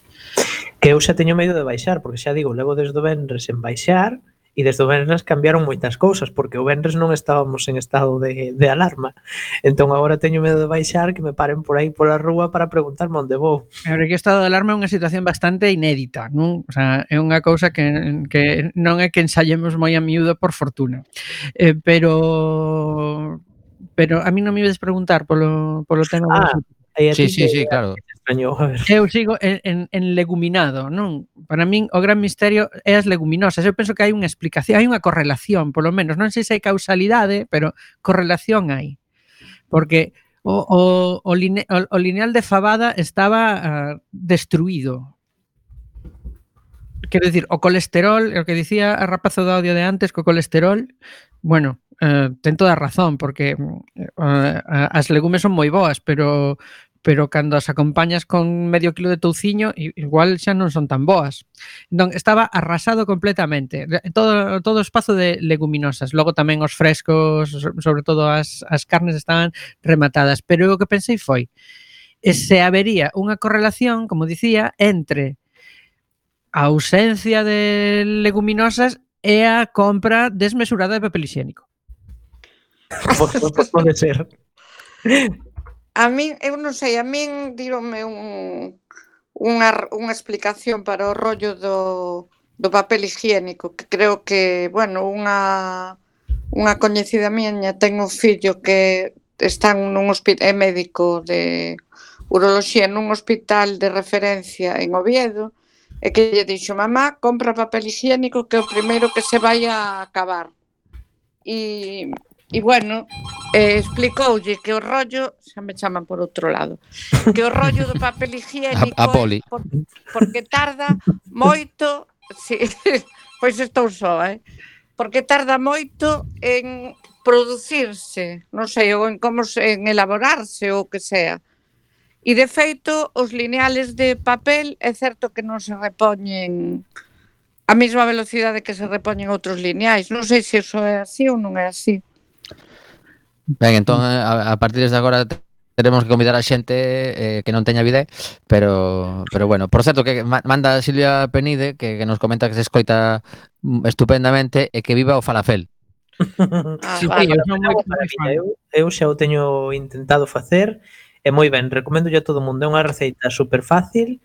Que eu xa teño medo de baixar, porque xa digo, levo desde o venres en baixar, e desde o venres cambiaron moitas cousas, porque o venres non estábamos en estado de, de alarma. Entón agora teño medo de baixar, que me paren por aí pola rúa para preguntarme onde vou. Pero que o estado de alarma é unha situación bastante inédita, non? O sea, é unha cousa que, que non é que ensayemos moi a miúdo por fortuna. Eh, pero pero a mí non me ides preguntar polo, polo tema ah, do... Sí, sí, sí, claro. Extraño, a ver. Eu sigo en, en, en leguminado, non? Para min o gran misterio é as leguminosas. Eu penso que hai unha explicación, hai unha correlación, polo menos. Non sei se hai causalidade, pero correlación hai. Porque o, o, o, line, o, o lineal de Fabada estaba uh, destruído. Quero dicir, o colesterol, o que dicía a rapazo do audio de antes, co colesterol, bueno, uh, ten toda a razón, porque uh, as legumes son moi boas, pero pero cando as acompañas con medio kilo de touciño, igual xa non son tan boas. Entón, estaba arrasado completamente. Todo, todo o espazo de leguminosas. Logo tamén os frescos, sobre todo as, as carnes estaban rematadas. Pero o que pensei foi, e se habería unha correlación, como dicía, entre a ausencia de leguminosas e a compra desmesurada de papel higiénico. Pues, pues pode ser. A min, eu non sei, a min díronme un, unha, unha explicación para o rollo do, do papel higiénico, que creo que, bueno, unha, unha coñecida miña ten un fillo que está nun hospital, é médico de uroloxía nun hospital de referencia en Oviedo, e que lle dixo, mamá, compra papel higiénico que é o primeiro que se vai a acabar. E, e bueno, eh, explicoulle que o rollo, xa me chaman por outro lado, que o rollo do papel higiénico A, a poli. por, porque tarda moito, si, pois estou só, eh? Porque tarda moito en producirse, non sei, ou en como se, en elaborarse ou o que sea. E, de feito, os lineales de papel é certo que non se repoñen a mesma velocidade que se repoñen outros lineais. Non sei se iso é así ou non é así. Ben, entón, a, a partir de agora teremos que convidar a xente eh, que non teña vida, pero pero bueno, por certo que manda Silvia Penide que, que nos comenta que se escoita estupendamente e que viva o falafel. Ah, Sí, vale. eu son moi Maravilla, eu, eu xa o teño intentado facer e moi ben, recomendo a todo o mundo, é unha receita super fácil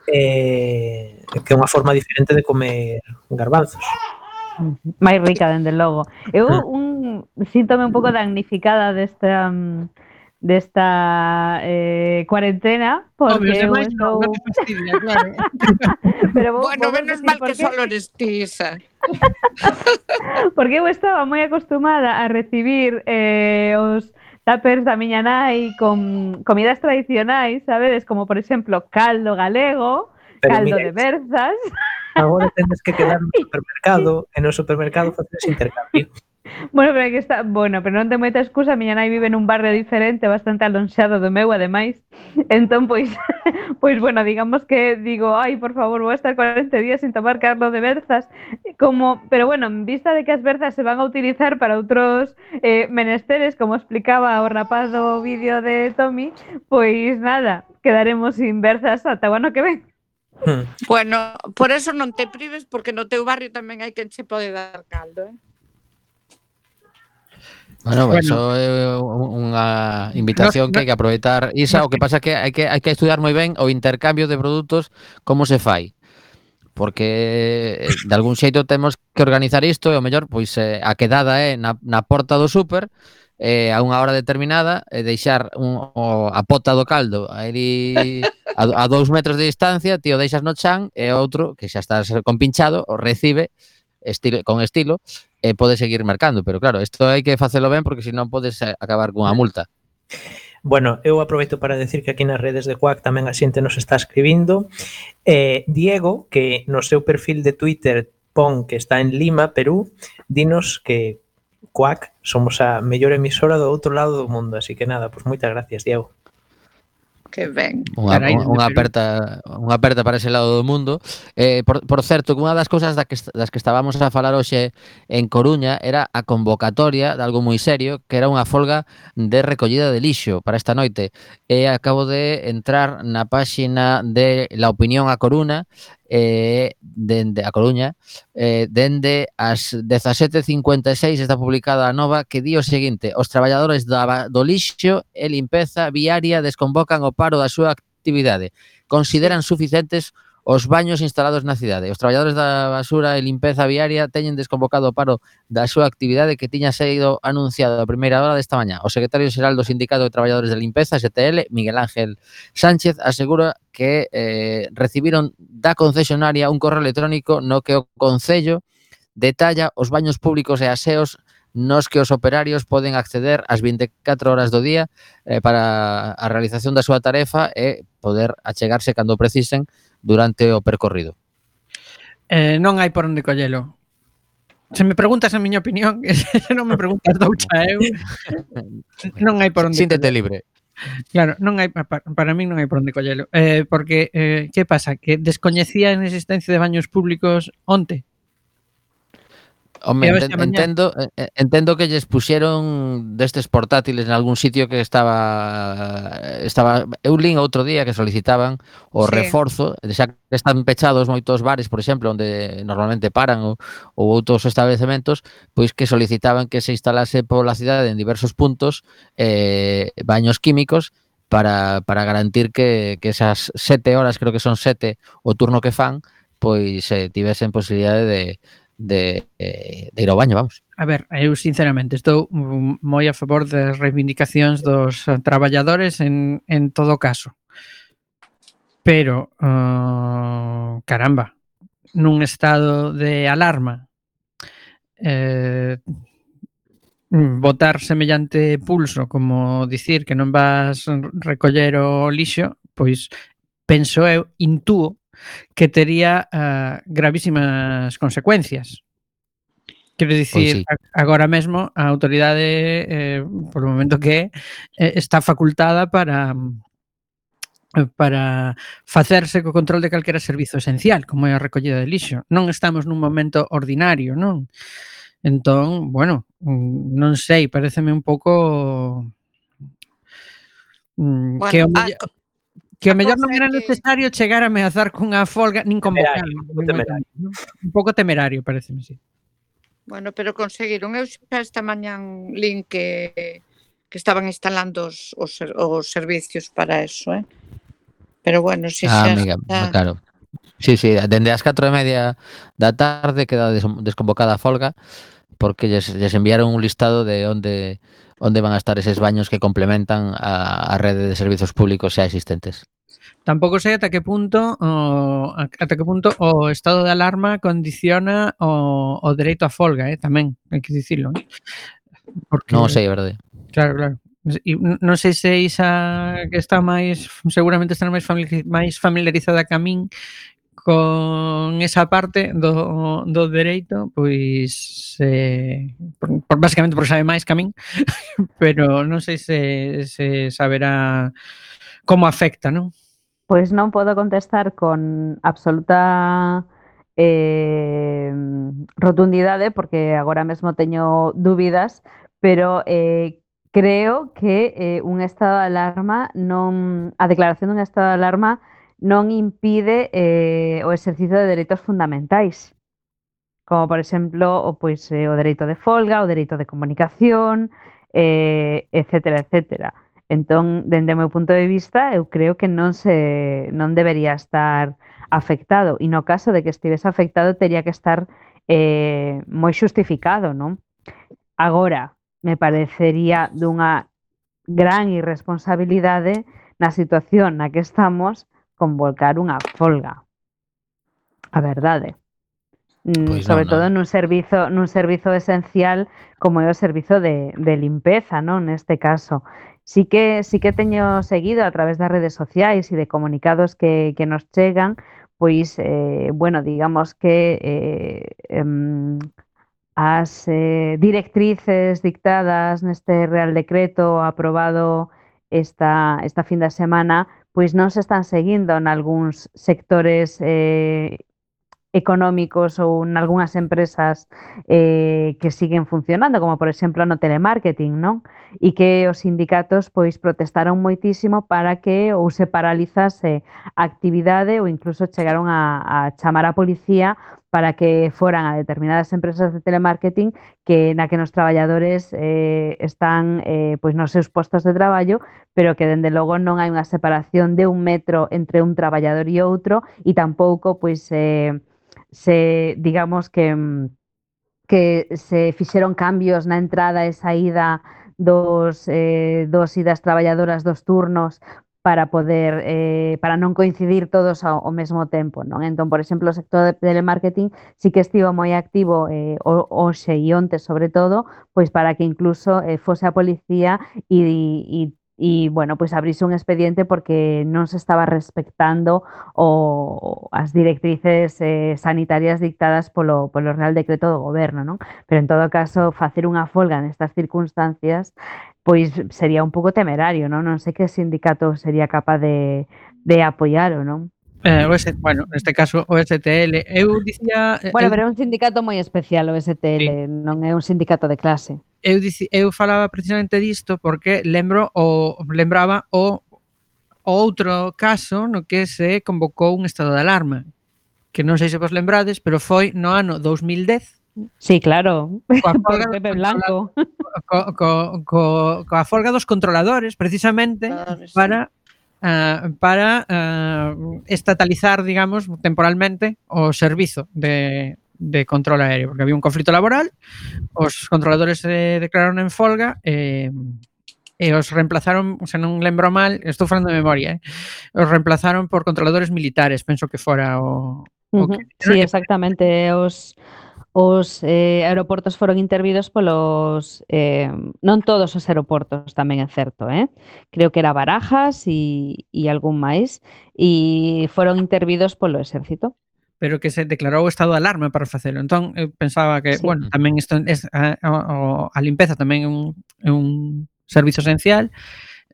e eh, que é unha forma diferente de comer garbanzos. Máis rica, dende logo. Eu un, síntome un pouco damnificada desta desta eh, cuarentena porque Obvio, eu demais non, estou... non te fastidia, claro. Pero vou, Bueno, vou menos decir mal por que qué. solo eres ti, Isa. Porque eu estaba moi acostumada a recibir eh, os tuppers da miña nai con comidas tradicionais, sabedes? Como, por exemplo, caldo galego, Pero caldo mira, de berzas. agora tendes que quedar no supermercado e no supermercado facer ese intercambio. Bueno, pero é que está, bueno, pero non ten moita excusa, a miña nai vive nun barrio diferente, bastante alonxado do meu, ademais. Entón, pois, pois bueno, digamos que digo, ai, por favor, vou estar cuarenta días sin tomar caldo de berzas, como, pero bueno, en vista de que as berzas se van a utilizar para outros eh, menesteres, como explicaba o rapaz do vídeo de Tommy, pois nada, quedaremos sin berzas ata o ano que ven. Hmm. Bueno, por eso non te prives, porque no teu barrio tamén hai quen che pode dar caldo, eh? Bueno, Bueno. eso é unha invitación Nos- que hai que aproveitar. Isa, nos- o que pasa é que hai que hai que estudiar moi ben o intercambio de produtos, como se fai. Porque eh, de algún xeito temos que organizar isto e o mellor pois eh, a quedada é na, na porta do súper eh, a unha hora determinada e deixar un, o, a pota do caldo aí a, a dous metros de distancia, ti o deixas no chan e outro que xa estás compinchado o recibe estilo, con estilo e pode seguir mercando, pero claro, isto hai que facelo ben porque senón podes acabar cunha multa. Bueno, eu aproveito para decir que aquí nas redes de Quack tamén a xente nos está escribindo. Eh, Diego, que no seu perfil de Twitter pon que está en Lima, Perú, dinos que Quack somos a mellor emisora do outro lado do mundo, así que nada, pues moitas gracias, Diego. Que ben. Unha, Carai, unha, dende unha Perú. aperta unha aperta para ese lado do mundo. Eh, por, por certo, que unha das cousas da que, das que estábamos a falar hoxe en Coruña era a convocatoria de algo moi serio, que era unha folga de recollida de lixo para esta noite. E acabo de entrar na páxina de La Opinión a Coruña, eh, dende a Coruña, eh, dende as dezasete cincuenta e seis está publicada a nova que di o seguinte: os traballadores da, do lixo e limpeza viaria desconvocan o paro da súa actividade. Consideran suficientes os baños instalados na cidade. Os traballadores da basura e limpeza viaria teñen desconvocado o paro da súa actividade que tiña sido anunciado a primeira hora desta mañá. O secretario xeral do Sindicato de Traballadores de Limpeza, S T L, Miguel Ángel Sánchez, asegura que eh, recibiron da concesionaria un correo electrónico no que o Concello detalla os baños públicos e aseos nos que os operarios poden acceder ás vinte e catro horas do día eh, para a realización da súa tarefa e poder achegarse cando precisen durante o percorrido. Eh, non hai por onde collelo. Se me preguntas a miña opinión, se non me preguntas doucha eu, non hai por onde Síntete collelo. libre. Claro, non hai para, para min non hai por onde collelo. Eh, porque, eh, que pasa? Que descoñecía a existencia de baños públicos onte? Home, E a ver enten, se a mañá. entendo, eh, entendo que lles puxeron destes portátiles en algún sitio que estaba estaba eu lin outro día que solicitaban o Sí. reforzo, xa que están pechados moitos bares, por exemplo, onde normalmente paran ou, ou outros establecementos, pois que solicitaban que se instalase pola cidade en diversos puntos eh, baños químicos para, para garantir que, que esas sete horas, creo que son sete o turno que fan, pois eh, tivesen posibilidade de de, eh, de ir ao baño, vamos. A ver, eu sinceramente estou mm, moi a favor das reivindicacións dos eh, traballadores en, en todo caso. Pero, uh, caramba, nun estado de alarma, eh, botar semellante pulso como dicir que non vas recoller o lixo, pois penso eu, intúo, que tería uh, gravísimas consecuencias. Quero dicir, Pois sí. agora mesmo a autoridade, eh, por o momento que é, eh, está facultada para para facerse co control de calquera servizo esencial, como é a recollida de lixo. Non estamos nun momento ordinario, non? Entón, bueno, non sei, paréceme un pouco mm, que o Bueno, a, mellor que o a mellor cousa non é era que necesario chegar a ameazar cunha folga nin convocar. Temerario, un pouco temerario. Un pouco temerario, paréceme, sí. Bueno, pero conseguiron. Eu xa esta mañán lin que, que estaban instalando os, os, os servicios para eso, eh? Pero bueno, se Ah, xa amiga, está... claro. Sí, sí, dende as catro e media da tarde queda des desconvocada a folga porque lles, lles enviaron un listado de onde onde van a estar eses baños que complementan a, a rede de servizos públicos xa existentes. Tampouco sei ata que punto o ata que punto o estado de alarma condiciona o, o dereito á folga, eh, tamén, hai que dicilo, eh? Porque Non o sei, é verdade. claro, claro. E non sei se Isa, que está máis, seguramente está máis máis familiarizada que a min con esa parte do, do dereito, pois eh, por, por, basicamente porque sabe máis que a min, pero non sei se, se saberá como afecta, non? Pois non podo contestar con absoluta eh, rotundidade porque agora mesmo teño dúbidas, pero eh, creo que eh, un estado de alarma non, a declaración dun estado de alarma non impide eh, o exercicio de dereitos fundamentais, como por exemplo o, pois, eh, o dereito de folga, o dereito de comunicación, eh, etcétera, etcétera. Entón, dende o meu punto de vista, eu creo que non se non debería estar afectado, e no caso de que estivese afectado teria que estar eh, moi xustificado, non? Agora, me parecería dunha gran irresponsabilidade na situación na que estamos convocar unha folga. A verdade. Pois Sobre non, todo non. nun servizo nun servizo esencial como é o servizo de, de limpeza, non? Neste caso. Sí que sí que teño seguido a través das redes sociais e de comunicados que, que nos chegan, pois, eh, bueno, digamos que eh, em, as eh, directrices dictadas neste Real Decreto aprobado esta, esta fin de semana, pois non se están seguindo nalgúns sectores eh, económicos ou nalgúnas empresas eh, que siguen funcionando, como por exemplo no telemarketing, non? E que os sindicatos pois protestaron moitísimo para que ou se paralizase a actividade ou incluso chegaron a, a chamar a policía para que foran a determinadas empresas de telemarketing que na que nos traballadores eh, están eh, pois nos seus postos de traballo, pero que dende logo non hai unha separación de un metro entre un traballador e outro e tampouco pois eh, se digamos que que se fixeron cambios na entrada e saída dos eh, dos e das traballadoras dos turnos para poder eh, para non coincidir todos ao, ao mesmo tempo, non? Entón, por exemplo, o sector de telemarketing sí que estivo moi activo eh, hoxe e onte, sobre todo, pois para que incluso eh, fose a policía e, e e, bueno, pois abrise un expediente porque non se estaba respectando o, as directrices eh, sanitarias dictadas polo, polo Real Decreto do Goberno, non? Pero en todo caso, facer unha folga nestas circunstancias pois sería un pouco temerario, non? Non sei que sindicato sería capaz de, de apoialo, non? Eh, o S, bueno, neste caso o S T L. Eu dicía... Bueno, eu, pero é un sindicato moi especial o S T L, sí. non é un sindicato de clase. Eu, dici, eu falaba precisamente disto porque lembro o lembraba o, o outro caso no que se convocou un estado de alarma, que non sei se vos lembrades, pero foi no ano dous mil dez. Sí, claro, Coa por folga, Pepe Blanco. co, co, co, coa folga dos controladores, precisamente, Claro, sí. para uh, para uh, estatalizar, digamos, temporalmente o servizo de, de control aéreo, porque había un conflito laboral, os controladores se declararon en folga e, e os reemplazaron, se non lembro mal, estou falando de memoria, eh, os reemplazaron por controladores militares, penso que fora o, o Uh que... -huh. Sí, exactamente, os os eh, aeroportos foron intervidos polos eh, non todos os aeroportos, tamén é certo, eh? Creo que era Barajas e, e algún máis, e foron intervidos polo exército. Pero que se declarou o estado de alarma para facelo. Entón, eu pensaba que, sí. bueno, tamén isto es, a, a, a limpeza tamén é un, é un servizo esencial,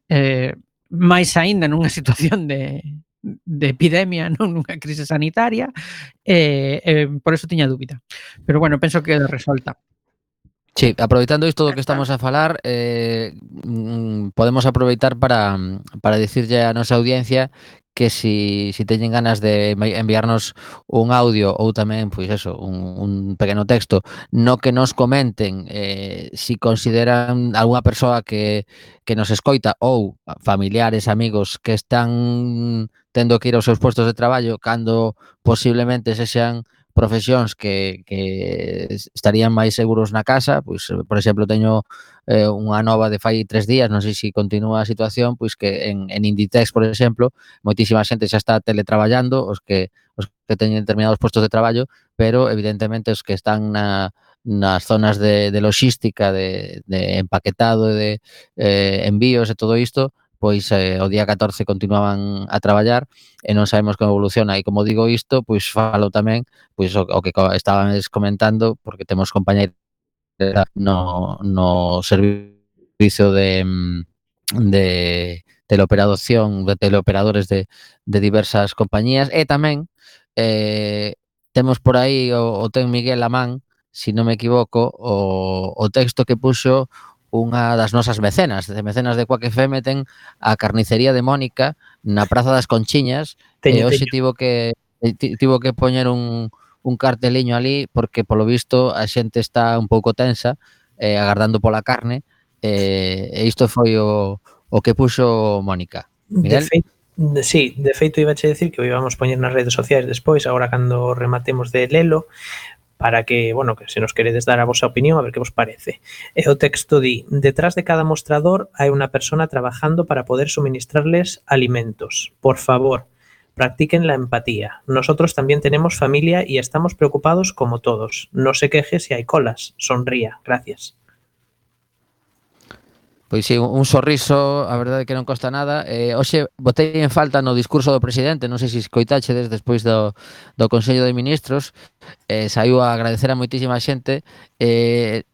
eh, máis aínda nunha situación de, de epidemia, non nunha crise sanitaria, e eh, eh, por eso tiña dúbida. Pero bueno, penso que queda resolta. Sí, aproveitando isto do que estamos a falar, eh, podemos aproveitar para, para dicirlle a nosa audiencia que si, si teñen ganas de enviarnos un audio ou tamén, pois eso, un, un pequeno texto no que nos comenten eh, si consideran algunha persoa que, que nos escoita ou familiares, amigos que están tendo que ir aos seus postos de traballo cando posiblemente se sean profesións que, que estarían máis seguros na casa, pois, por exemplo, teño eh, unha nova de fai tres días, non sei se continúa a situación, pois que en, en Inditex, por exemplo, moitísima xente xa está teletraballando, os que os que teñen determinados postos de traballo, pero evidentemente os que están na, nas zonas de, de logística, de, de empaquetado, de eh, envíos e todo isto, pois eh, o día catorce continuaban a traballar e non sabemos como evoluciona. E como digo isto, pois falo tamén pois o, o que estaban comentando, porque temos compañeiros no, no servicio de, de teleoperación, de teleoperadores de, de diversas compañías, e tamén eh, temos por aí o, o ten Miguel Amán, se si non me equivoco, o, o texto que puxo unha das nosas mecenas, de mecenas de Quack F M, ten a carnicería de Mónica na Praza das Conchiñas, teño, e hoxe tivo que tivo que poñer un, un carteliño ali porque polo visto a xente está un pouco tensa eh, agardando pola carne eh, e isto foi o, o que puxo Mónica. Miguel? De feito, sí, de feito iba a decir que o íbamos poñer nas redes sociais despois, agora cando rematemos de lelo, para que, bueno, que se nos queredes dar a vosa opinión, a ver que vos parece. E o texto di: detrás de cada mostrador hai unha persona trabajando para poder suministrarles alimentos. Por favor, practiquen la empatía. Nosotros también tenemos familia y estamos preocupados como todos. No se queje si hay colas. Sonría. Gracias. Pois sí, un sorriso, a verdade que non costa nada. Eh, hoxe botei en falta no discurso do presidente, non sei se escoitachedes despois do, do Consello de Ministros, eh, saiu a agradecer a moitísima xente. Eh,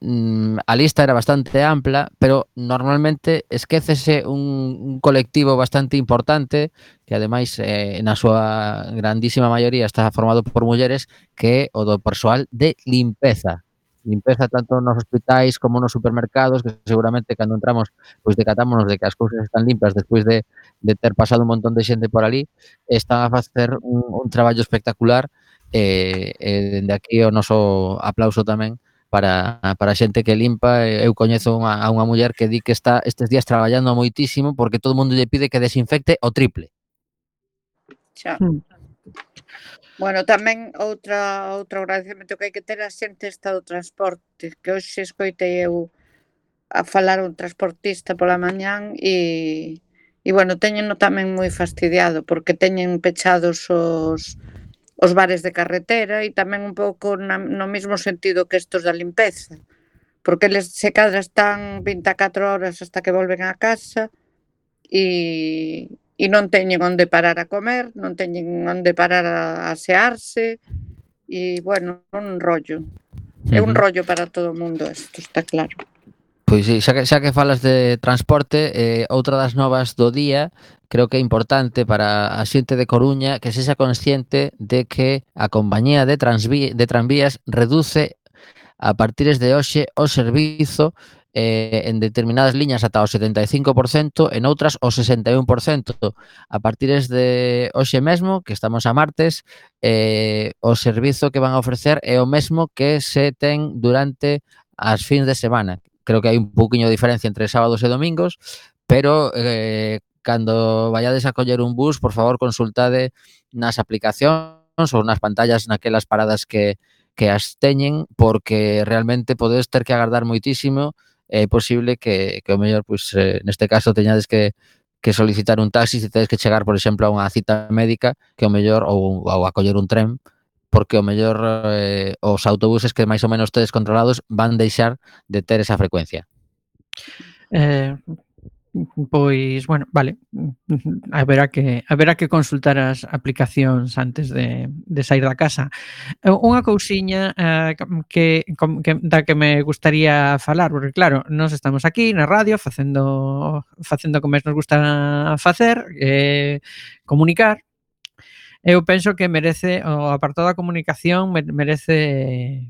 a lista era bastante ampla, pero normalmente esquécese un, un colectivo bastante importante, que ademais eh, na súa grandísima maioría está formado por mulleres, que é o do persoal de limpeza. Limpeza tanto nos hospitais como nos supermercados, que seguramente cando entramos pois decatámonos de que as cousas están limpas despois de, de ter pasado un montón de xente por ali, están a facer un, un traballo espectacular e, e dende aquí o noso aplauso tamén para, para a xente que limpa. Eu coñezo unha, a unha muller que di que está estes días traballando moitísimo porque todo o mundo lle pide que desinfecte o triple. Xa. Hmm. Bueno, tamén outra outro agradecemento que hai que ter a xente está do transporte, que hoxe escoitei eu a falar un transportista pola mañán e, e bueno, teñeno tamén moi fastidiado porque teñen pechados os, os bares de carretera e tamén un pouco na, no mesmo sentido que estos da limpeza, porque eles se cadra están vinte e catro horas hasta que volven a casa e... e non teñen onde parar a comer, non teñen onde parar a asearse, e, bueno, un rollo. É un rollo para todo o mundo, isto está claro. Pois sí, xa que, xa que falas de transporte, eh, outra das novas do día, creo que é importante para a xente de Coruña que sexa consciente de que a compañía de, transví de tranvías reduce a partires de hoxe o servizo eh, en determinadas liñas ata o setenta e cinco por cento, en outras o sesenta e un por cento. A partires de hoxe mesmo, que estamos a martes, eh, o servizo que van a ofrecer é o mesmo que se ten durante as fins de semana. Creo que hai un pouquiño de diferencia entre sábados e domingos, pero eh, cando vayades a coller un bus, por favor, consultade nas aplicacións ou nas pantallas naquelas paradas que, que as teñen, porque realmente podedes ter que agardar moitísimo. É posible que, que o mellor, pois, eh, neste caso, teñades que, que solicitar un taxi se tedes que chegar, por exemplo, a unha cita médica, que o mellor, ou, ou a coller un tren, porque o mellor eh, os autobuses que máis ou menos tedes controlados van deixar de ter esa frecuencia. Eh, pois, bueno, vale. Haberá que haberá que consultar as aplicacións antes de, de sair da casa. Unha cousiña eh, que, que da que me gustaría falar, porque claro, nós estamos aquí na radio facendo facendo como nos gusta facer, eh, comunicar. Eu penso que merece, o apartado da comunicación merece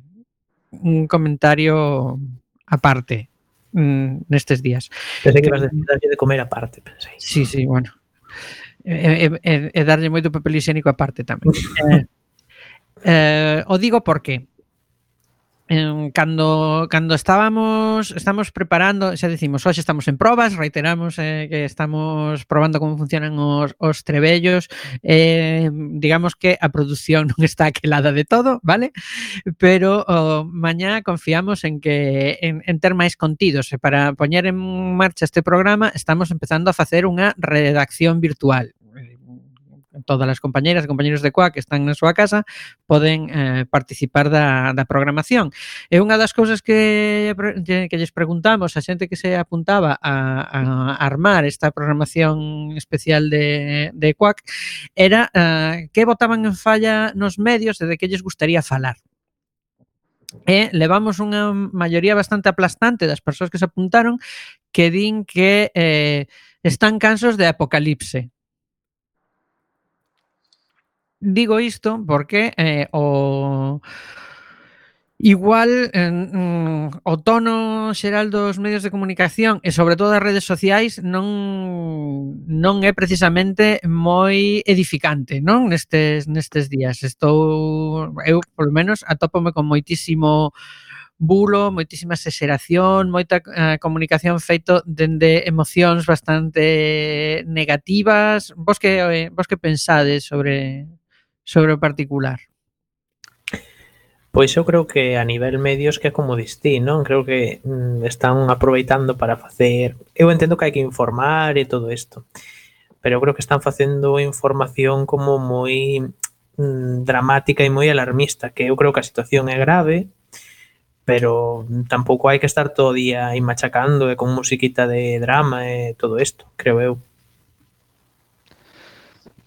un comentario aparte nestes días. Pensei que ibas a decir darlle de comer aparte, pensei. Sí, sí, bueno. E, e, e darlle moito papel higiénico aparte tamén. eh, eh, o digo porque eh, cando cando estábamos estamos preparando, xa decimos, hoxe estamos en probas, reiteramos eh, que estamos probando como funcionan os, os trebellos, eh, digamos que a produción non está aquelada de todo, vale? Pero oh, mañá confiamos en que en, en ter máis contidos, e para poñer en marcha este programa estamos empezando a facer unha redacción virtual. Todas as compañeiras e compañeiros de Coac que están na súa casa poden eh, participar da, da programación. E unha das cousas que, que lles preguntamos a xente que se apuntaba a, a armar esta programación especial de, de Coac era eh, que botaban en falla nos medios e de que lles gustaría falar. E levamos unha maioría bastante aplastante das persoas que se apuntaron que din que eh, están cansos de Apocalipse. Digo isto porque eh, o igual eh, o tono xeral dos medios de comunicación e sobre todo das redes sociais non non é precisamente moi edificante, non? Nestes nestes días. Estou eu polo menos atópome con moitísimo bulo, moitísima exageración, moita eh, comunicación feito dende emocións bastante negativas. Vos que eh, vos que pensades sobre sobre o particular? Pois eu creo que a nivel medios que é como distí, non? Creo que mm, están aproveitando para facer... Eu entendo que hai que informar e todo isto, pero eu creo que están facendo información como moi mm, dramática e moi alarmista, que eu creo que a situación é grave, pero tampouco hai que estar todo o día aí machacando e con musiquita de drama e todo isto, creo eu.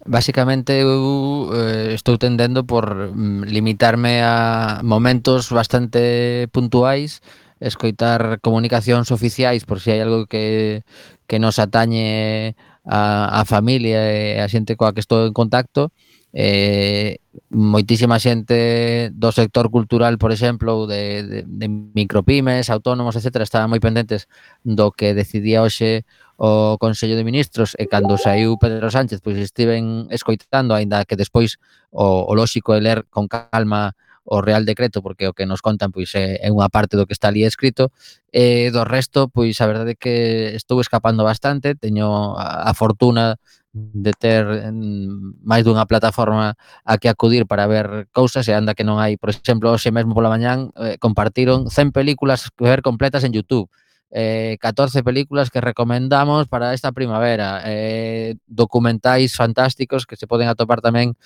Básicamente eu eh, estou tendendo por mm, limitarme a momentos bastante puntuais, escoitar comunicacións oficiais por si hai algo que, que nos atañe a, a familia e a xente coa que estou en contacto. Eh, moitísima xente do sector cultural, por exemplo, de, de, de micropymes, autónomos, etcétera, estaban moi pendentes do que decidía hoxe o Consello de Ministros, e cando saiu Pedro Sánchez, pois estiven escoitando, aínda que despois o, o lóxico é ler con calma o Real Decreto, porque o que nos contan pois é, é unha parte do que está ali escrito, e do resto, pois a verdade é que estou escapando bastante, teño a, a fortuna de ter máis dunha plataforma a que acudir para ver cousas, e anda que non hai, por exemplo, hoxe mesmo pola mañán eh, compartiron cen películas que ver completas en YouTube. Eh, catorce películas que recomendamos para esta primavera, eh, documentais fantásticos que se poden atopar tamén